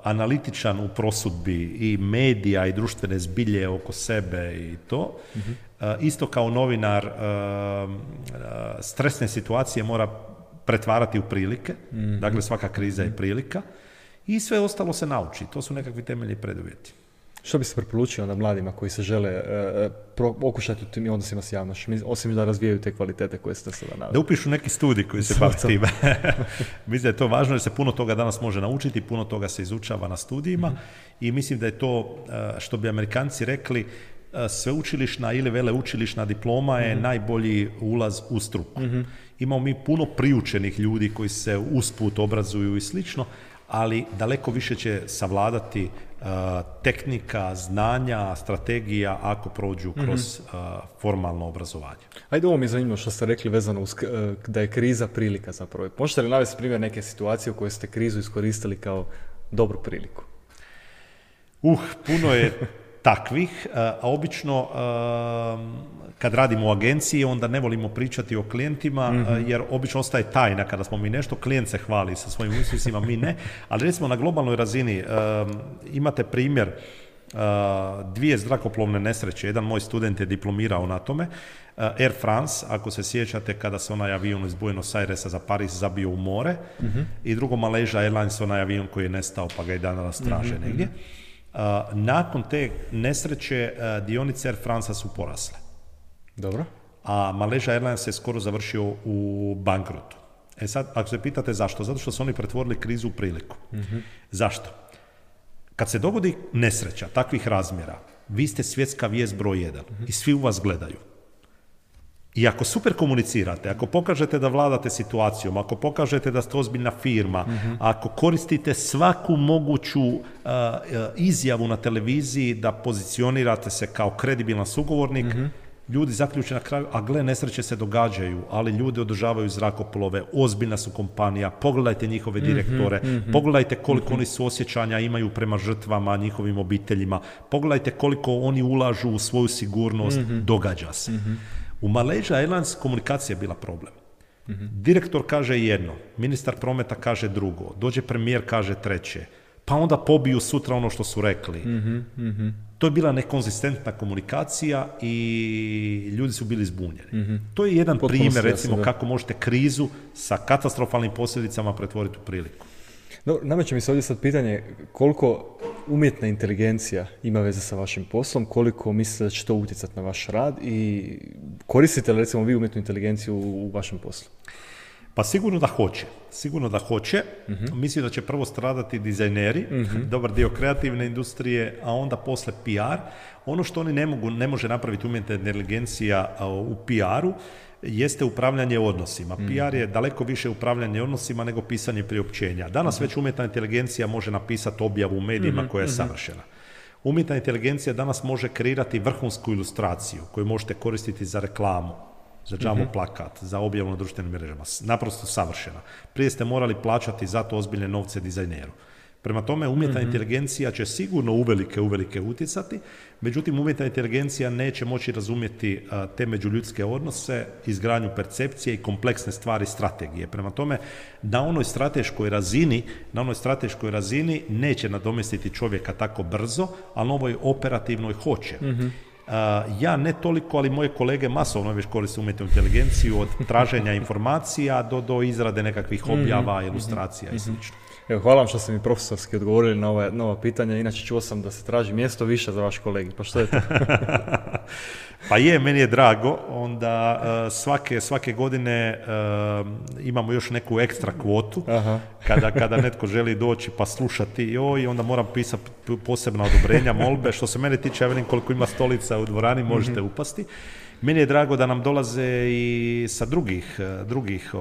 analitičan u prosudbi i medija i društvene zbilje oko sebe i to. Isto kao novinar, stresne situacije mora pretvarati u prilike. Dakle, svaka kriza je prilika. I sve ostalo se nauči. To su nekakvi temeljni preduvjeti. Što bi se preporučio onda mladima koji se žele okušati u tim odnosima s javnošću, osim da razvijaju te kvalitete koje ste sada naveli? Da upišu neki studij koji se bavi time. Mislim da je to važno jer se puno toga danas može naučiti, puno toga se izučava na studijima i mislim da je to, što bi Amerikanci rekli, sveučilišna ili veleučilišna diploma je najbolji ulaz u struku. Imamo mi puno priučenih ljudi koji se usput obrazuju i slično, ali daleko više će savladati tehnika, znanja, strategija ako prođu kroz formalno obrazovanje. Ajde, ovo mi je zanimljivo što ste rekli vezano uz da je kriza prilika zapravo. Možete li navesti primjer neke situacije u kojoj ste krizu iskoristili kao dobru priliku? Puno je takvih, a obično kad radimo u agenciji onda ne volimo pričati o klijentima jer obično ostaje tajna kada smo mi nešto, klijent se hvali sa svojim uspjesima, mi ne, ali recimo na globalnoj razini imate primjer 2 zrakoplovne nesreće, jedan moj student je diplomirao na tome, Air France, ako se sjećate kada se onaj avion iz Buenos Airesa za Pariz zabio u more i drugo Malaysia Airlines, onaj avion koji je nestao pa ga i danas traže negdje. Nakon te nesreće dionice Air France su porasle. Dobro. A Malaysia Airlines je skoro završio u bankrotu. Sad, ako se pitate zašto? Zato što su oni pretvorili krizu u priliku. Zašto? Kad se dogodi nesreća takvih razmjera, vi ste svjetska vijest broj 1 i svi u vas gledaju. I ako super komunicirate, ako pokažete da vladate situacijom, ako pokažete da ste ozbiljna firma, ako koristite svaku moguću izjavu na televiziji da pozicionirate se kao kredibilan sugovornik, ljudi zaključe na kraju, a gle, nesreće se događaju, ali ljudi održavaju zrakoplove, ozbiljna su kompanija, pogledajte njihove direktore, pogledajte koliko oni suosjećanja imaju prema žrtvama, njihovim obiteljima, pogledajte koliko oni ulažu u svoju sigurnost, događa se. U Malaysia Airlines komunikacija je bila problem. Direktor kaže jedno, ministar prometa kaže drugo, dođe premijer kaže treće, pa onda pobiju sutra ono što su rekli. To je bila nekonzistentna komunikacija i ljudi su bili zbunjeni. To je jedan primjer, recimo, kako možete krizu sa katastrofalnim posljedicama pretvoriti u priliku. No, nameće mi se ovdje sad pitanje koliko umjetna inteligencija ima veze sa vašim poslom, koliko mislite da će to utjecati na vaš rad i koristite li recimo vi umjetnu inteligenciju u vašem poslu? Pa sigurno da hoće. Mislim da će prvo stradati dizajneri, dobar dio kreativne industrije, a onda posle PR. Ono što oni ne može napraviti umjetna inteligencija u PR-u jeste upravljanje odnosima. PR je daleko više upravljanje odnosima nego pisanje priopćenja. Danas već umjetna inteligencija može napisati objavu u medijima koja je savršena. Umjetna inteligencija danas može kreirati vrhunsku ilustraciju koju možete koristiti za reklamu, za džamo plakat, za objavu na društvenim mrežama. Naprosto savršena. Prije ste morali plaćati za to ozbiljne novce dizajneru. Prema tome, umjetna inteligencija će sigurno uvelike utjecati, međutim, umjetna inteligencija neće moći razumjeti te međuljudske odnose, izgradnju percepcije i kompleksne stvari strategije. Prema tome, na onoj strateškoj razini neće nadomjestiti čovjeka tako brzo, a na ovoj operativnoj hoće. Ja ne toliko, ali moje kolege masovno već koriste umjetnu inteligenciju od traženja informacija do izrade nekakvih objava, ilustracija i sl. Evo, hvala vam što ste mi profesorski odgovorili na ova pitanja, inače čuo sam da se traži mjesto više za vaš kolegi, pa što je to? Pa meni je drago, onda svake godine imamo još neku ekstra kvotu, kada netko želi doći pa slušati i onda moram pisati posebna odobrenja, molbe, što se mene tiče, ja vidim koliko ima stolica u dvorani, možete upasti. Meni je drago da nam dolaze i sa drugih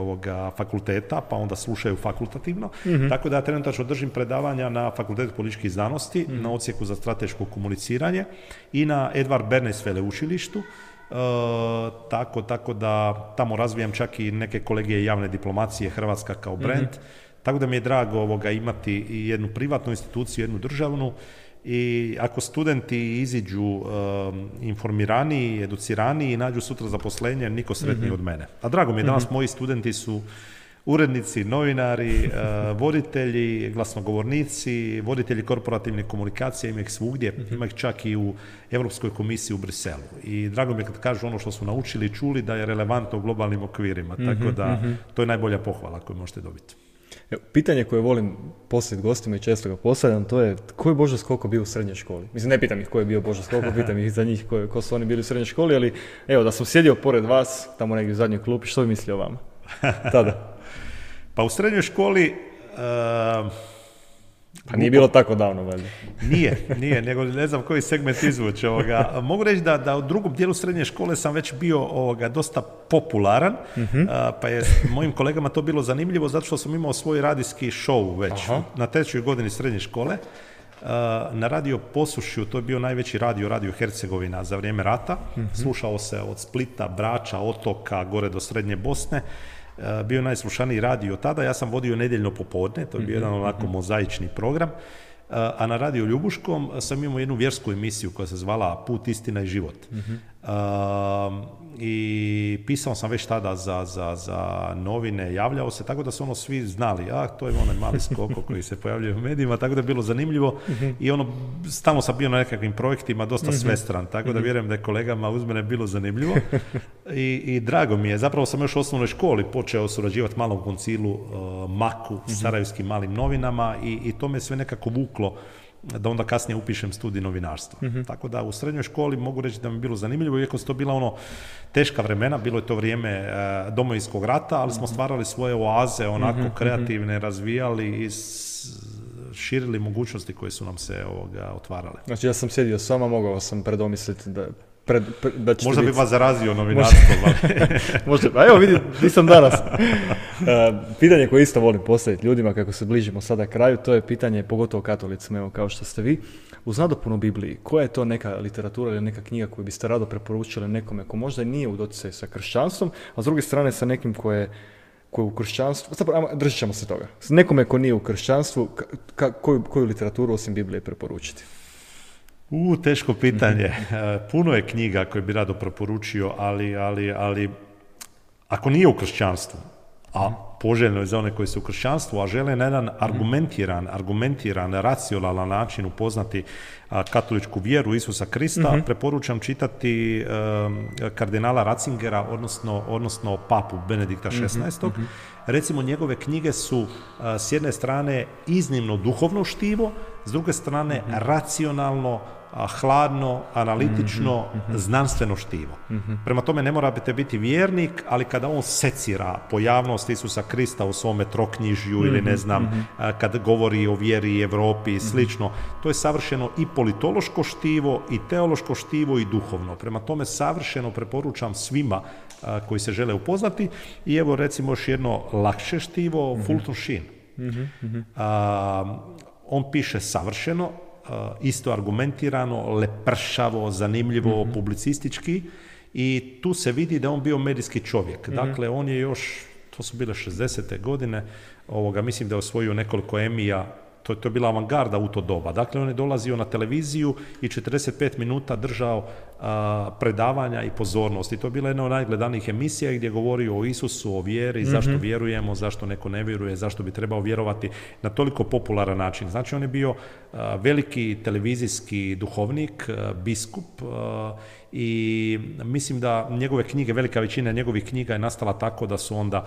fakulteta, pa onda slušaju fakultativno. Tako da ja trenutačno držim predavanja na Fakultetu političkih znanosti, na odsjeku za strateško komuniciranje i na Edvard Bernays veleučilištu. Tako da tamo razvijam čak i neke kolegije javne diplomacije, Hrvatska kao brand. Tako da mi je drago imati i jednu privatnu instituciju, jednu državnu. I ako studenti iziđu informiraniji, educiraniji i nađu sutra zaposlenje, niko sretniji od mene. A drago mi je, danas moji studenti su urednici, novinari, voditelji, glasnogovornici, voditelji korporativne komunikacije, ima ih svugdje, ima ih čak i u Europskoj komisiji u Briselu. I drago mi je kad kažu ono što su naučili i čuli da je relevantno u globalnim okvirima. Tako da to je najbolja pohvala koju možete dobiti. Pitanje koje volim postaviti gostima i često ga postavljam, to je ko je Božo Skoko bio u srednjoj školi? Mislim, ne pitam ih ko je bio Božo Skoko, pitam ih za njih ko su oni bili u srednjoj školi, ali evo, da sam sjedio pored vas, tamo negdje u zadnjoj klupi, što bi mislio o vama tada? Pa u srednjoj školi... Pa nije bilo tako davno, valjda. Nije, nego ne znam koji segment izvući ovoga. Mogu reći da u drugom dijelu srednje škole sam već bio dosta popularan, pa je mojim kolegama to bilo zanimljivo zato što sam imao svoj radijski show već na 3. godini srednje škole. Na radio Posušju, to je bio najveći radio Hercegovina za vrijeme rata. Slušao se od Splita, Brača, Otoka, gore do Srednje Bosne. Bio je najslušaniji radio tada, ja sam vodio nedjeljno popodne, to je bio jedan onako mozaični program, a na radio Ljubuškom sam imao jednu vjersku emisiju koja se zvala Put, istina i život. I pisao sam već tada za novine, javljao se, tako da su svi znali, to je onaj mali Skoko koji se pojavljuje u medijima, tako da je bilo zanimljivo i stalno sam bio na nekakvim projektima, dosta svestran, tako da vjerujem da je kolegama uz mene bilo zanimljivo i drago mi je, zapravo sam još u osnovnoj školi počeo surađivati Malom koncilu, Maku, Sarajevskim malim novinama i to me sve nekako vuklo da onda kasnije upišem studij novinarstva. Tako da u srednjoj školi mogu reći da mi je bilo zanimljivo, iako su to bila teška vremena, bilo je to vrijeme Domovinskog rata, ali smo stvarali svoje oaze, onako kreativne, razvijali i širili mogućnosti koje su nam se otvarale. Znači ja sam sjedio s vama, mogao sam predomisliti da možda bi vas zarazio novinarstvo. Možda, a evo vidi, nisam danas. Pitanje koje isto volim postaviti ljudima kako se bližimo sada kraju, to je pitanje pogotovo katolicima, evo kao što ste vi. Uz nadopunu Bibliji, koja je to neka literatura ili neka knjiga koju biste rado preporučili nekome ko možda nije u doticaju sa kršćanstvom, a s druge strane sa nekim ko je u kršćanstvu, držat ćemo se toga. Nekome ko nije u kršćanstvu, koju literaturu osim Biblije preporučiti? Teško pitanje. Puno je knjiga koje bi rado preporučio, ali ako nije u kršćanstvu, a poželjno je za one koji su u kršćanstvu, a žele na jedan argumentiran, racionalan način upoznati katoličku vjeru Isusa Krista, preporučam čitati kardinala Ratzingera, odnosno papu Benedikta XVI. Recimo, njegove knjige su s jedne strane iznimno duhovno štivo, s druge strane racionalno, hladno, analitično, znanstveno štivo. Prema tome, ne morate biti vjernik, ali kada on secira pojavnost Isusa Krista u svome troknjižju ili ne znam, kad govori o vjeri Europi i slično, to je savršeno i politološko štivo, i teološko štivo, i duhovno. Prema tome, savršeno preporučam svima koji se žele upoznati. I evo, recimo, još jedno lakše štivo, Fulton Sheen. On piše savršeno, isto argumentirano, lepršavo, zanimljivo, publicistički, i tu se vidi da on bio medijski čovjek. Dakle, on je još, to su bile 60. godine, mislim da je osvojio nekoliko Emija, to je bila avangarda u to doba. Dakle, on je dolazio na televiziju i 45 minuta držao predavanja i pozornost. I to je bila jedna od najgledanijih emisija gdje je govorio o Isusu, o vjeri, zašto vjerujemo, zašto neko ne vjeruje, zašto bi trebao vjerovati, na toliko popularan način. Znači, on je bio veliki televizijski duhovnik, biskup, i mislim da njegove knjige, velika većina njegovih knjiga je nastala tako da su onda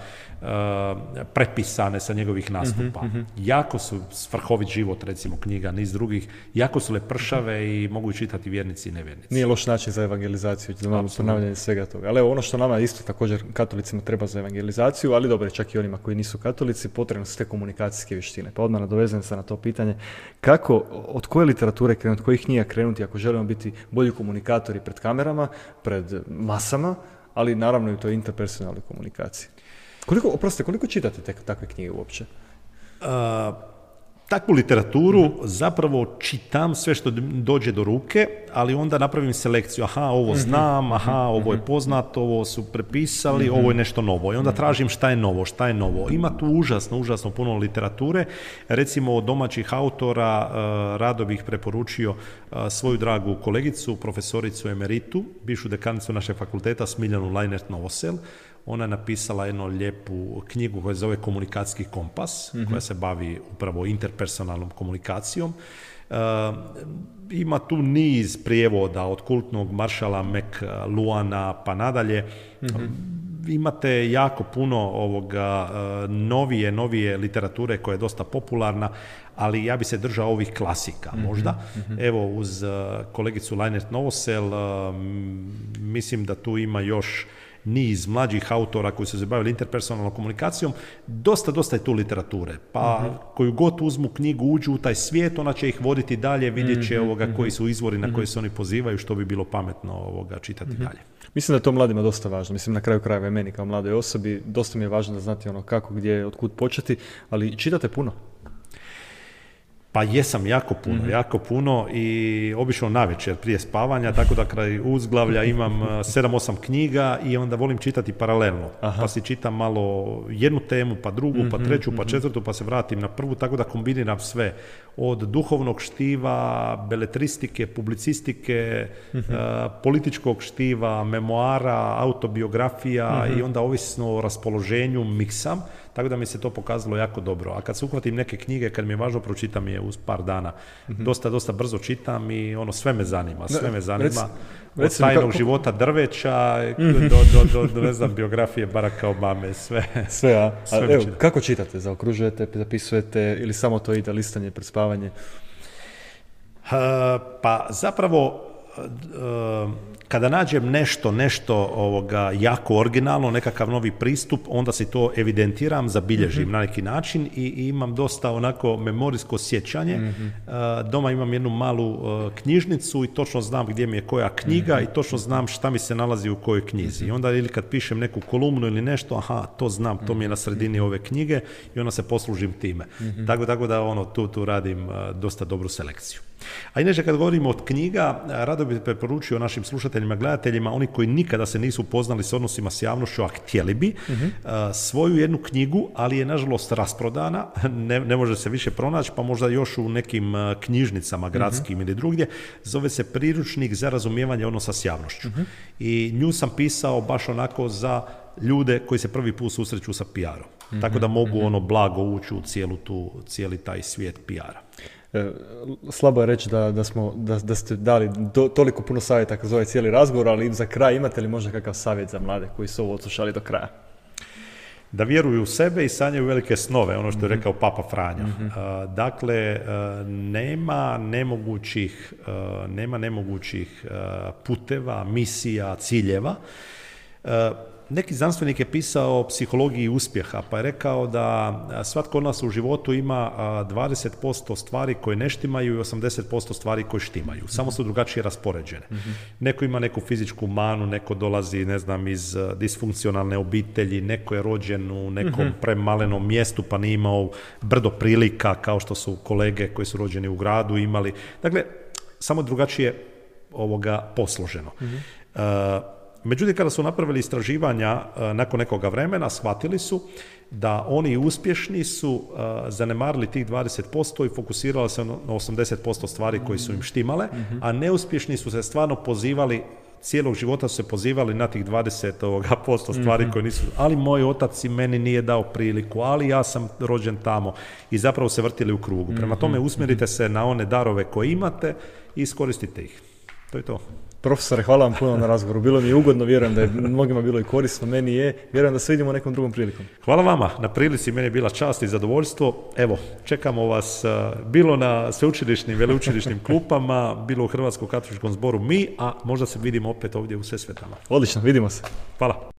prepisane sa njegovih nastupa. Jako su Svrhovit život, recimo, knjiga, niz drugih, jako su lepršave i mogu čitati vjernici i nevjernici. Nije loš način za evangelizaciju, za malo ponavljanje svega toga. Ali evo, ono što nama isto također katolicima treba za evangelizaciju, ali dobro, čak i onima koji nisu katolici, potrebno su te komunikacijske vještine. Pa odmah nadovezujem se na to pitanje, kako, od koje literature krenuti, od kojih knjiga krenuti ako želimo biti bolji komunikatori pred kamerama, pred masama, ali naravno i u toj interpersonalnoj komunikaciji. Koliko čitate takve knjige uopće? Takvu literaturu zapravo čitam sve što dođe do ruke, ali onda napravim selekciju. Aha, ovo znam, ovo je poznato, ovo su prepisali, ovo je nešto novo. I onda tražim šta je novo. Ima tu užasno puno literature. Recimo, od domaćih autora rado bih preporučio svoju dragu kolegicu, profesoricu emeritu, bivšu dekanicu našeg fakulteta, Smiljanu Lajnert-Novosel. Ona je napisala jednu lijepu knjigu koja se zove Komunikacijski kompas, koja se bavi upravo interpersonalnom komunikacijom. Ima tu niz prijevoda od kultnog maršala McLuhana pa nadalje. Imate jako puno novije literature koja je dosta popularna, ali ja bi se držao ovih klasika možda. Evo, uz kolegicu Lajnert-Novosel mislim da tu ima još niz mlađih autora koji su se bavili interpersonalnom komunikacijom. Dosta je tu literature. Pa koju god uzmu knjigu, uđu u taj svijet, ona će ih voditi dalje, vidjet će koji su izvori na koje se oni pozivaju, što bi bilo pametno čitati dalje. Mislim da je to mladima dosta važno. Mislim, na kraju krajeva i meni kao mladoj osobi dosta mi je važno da znati kako, gdje, otkud početi, ali čitate puno? Pa jesam, jako puno, i obično navečer prije spavanja, tako da kraj uzglavlja imam 7-8 knjiga i onda volim čitati paralelno. Pa si čitam malo jednu temu, pa drugu, pa treću, pa četvrtu, pa se vratim na prvu, tako da kombiniram sve. Od duhovnog štiva, beletristike, publicistike, političkog štiva, memoara, autobiografija, i onda ovisno o raspoloženju miksam. Tako da mi se to pokazalo jako dobro. A kad se uhvatim neke knjige, kad mi je važno, pročitam je uz par dana. Dosta brzo čitam i sve me zanima. Od tajnog života drveća do ne znam, biografije Baracka Obame, sve. Evo, kako čitate? Zaokružujete, zapisujete ili samo to ide listanje pred spavanje? Pa zapravo, kada nađem nešto jako originalno, nekakav novi pristup, onda si to evidentiram, zabilježim na neki način i imam dosta onako memorijsko sjećanje. Doma imam jednu malu knjižnicu i točno znam gdje mi je koja knjiga i točno znam šta mi se nalazi u kojoj knjizi. I onda ili kad pišem neku kolumnu ili nešto, to znam, to mi je na sredini ove knjige i onda se poslužim time. Tako da tu radim dosta dobru selekciju. A inače kad govorimo od knjiga, rado bih preporučio našim slušateljima, gledateljima, oni koji nikada se nisu upoznali s odnosima s javnošću, a htjeli bi, svoju jednu knjigu, ali je nažalost rasprodana, ne može se više pronaći, pa možda još u nekim knjižnicama gradskim ili drugdje, zove se Priručnik za razumijevanje odnosa s javnošću. I nju sam pisao baš onako za ljude koji se prvi put susreću sa PR-om. Tako da mogu blago ući u cijeli taj svijet PR-a. Slabo je reći da ste dali toliko puno savjeta kroz ovaj cijeli razgovor, ali za kraj imate li možda kakav savjet za mlade koji su ovo odslušali do kraja? Da vjeruju u sebe i sanjaju velike snove, ono što je rekao Papa Franjo. Dakle, nema nemogućih puteva, misija, ciljeva. Neki znanstvenik je pisao o psihologiji uspjeha, pa je rekao da svatko od nas u životu ima 20% stvari koje ne štimaju i 80% stvari koje štimaju. Samo su drugačije raspoređene. Neko ima neku fizičku manu, neko dolazi, iz disfunkcionalne obitelji, neko je rođen u nekom premalenom mjestu pa nije imao brdo prilika kao što su kolege koji su rođeni u gradu imali. Dakle, samo drugačije posloženo. Međutim, kada su napravili istraživanja nakon nekoga vremena, shvatili su da oni uspješni su zanemarili tih 20% i fokusirali se na 80% stvari koje su im štimale, a neuspješni su se stvarno pozivali, cijelog života su se pozivali na tih 20% stvari koje nisu, ali moj otac i meni nije dao priliku, ali ja sam rođen tamo, i zapravo se vrtili u krugu. Prema tome, usmjerite se na one darove koje imate i iskoristite ih. To je to. Profesore, hvala vam puno na razgovoru. Bilo mi je ugodno, vjerujem da je mnogima bilo i korisno, meni je. Vjerujem da se vidimo nekom drugom prilikom. Hvala vama na prilici, meni je bila čast i zadovoljstvo. Evo, čekamo vas bilo na sveučilišnim, veleučilišnim klupama, bilo u Hrvatskom katoličkom zboru mi, a možda se vidimo opet ovdje u Sesvetama. Odlično, vidimo se. Hvala.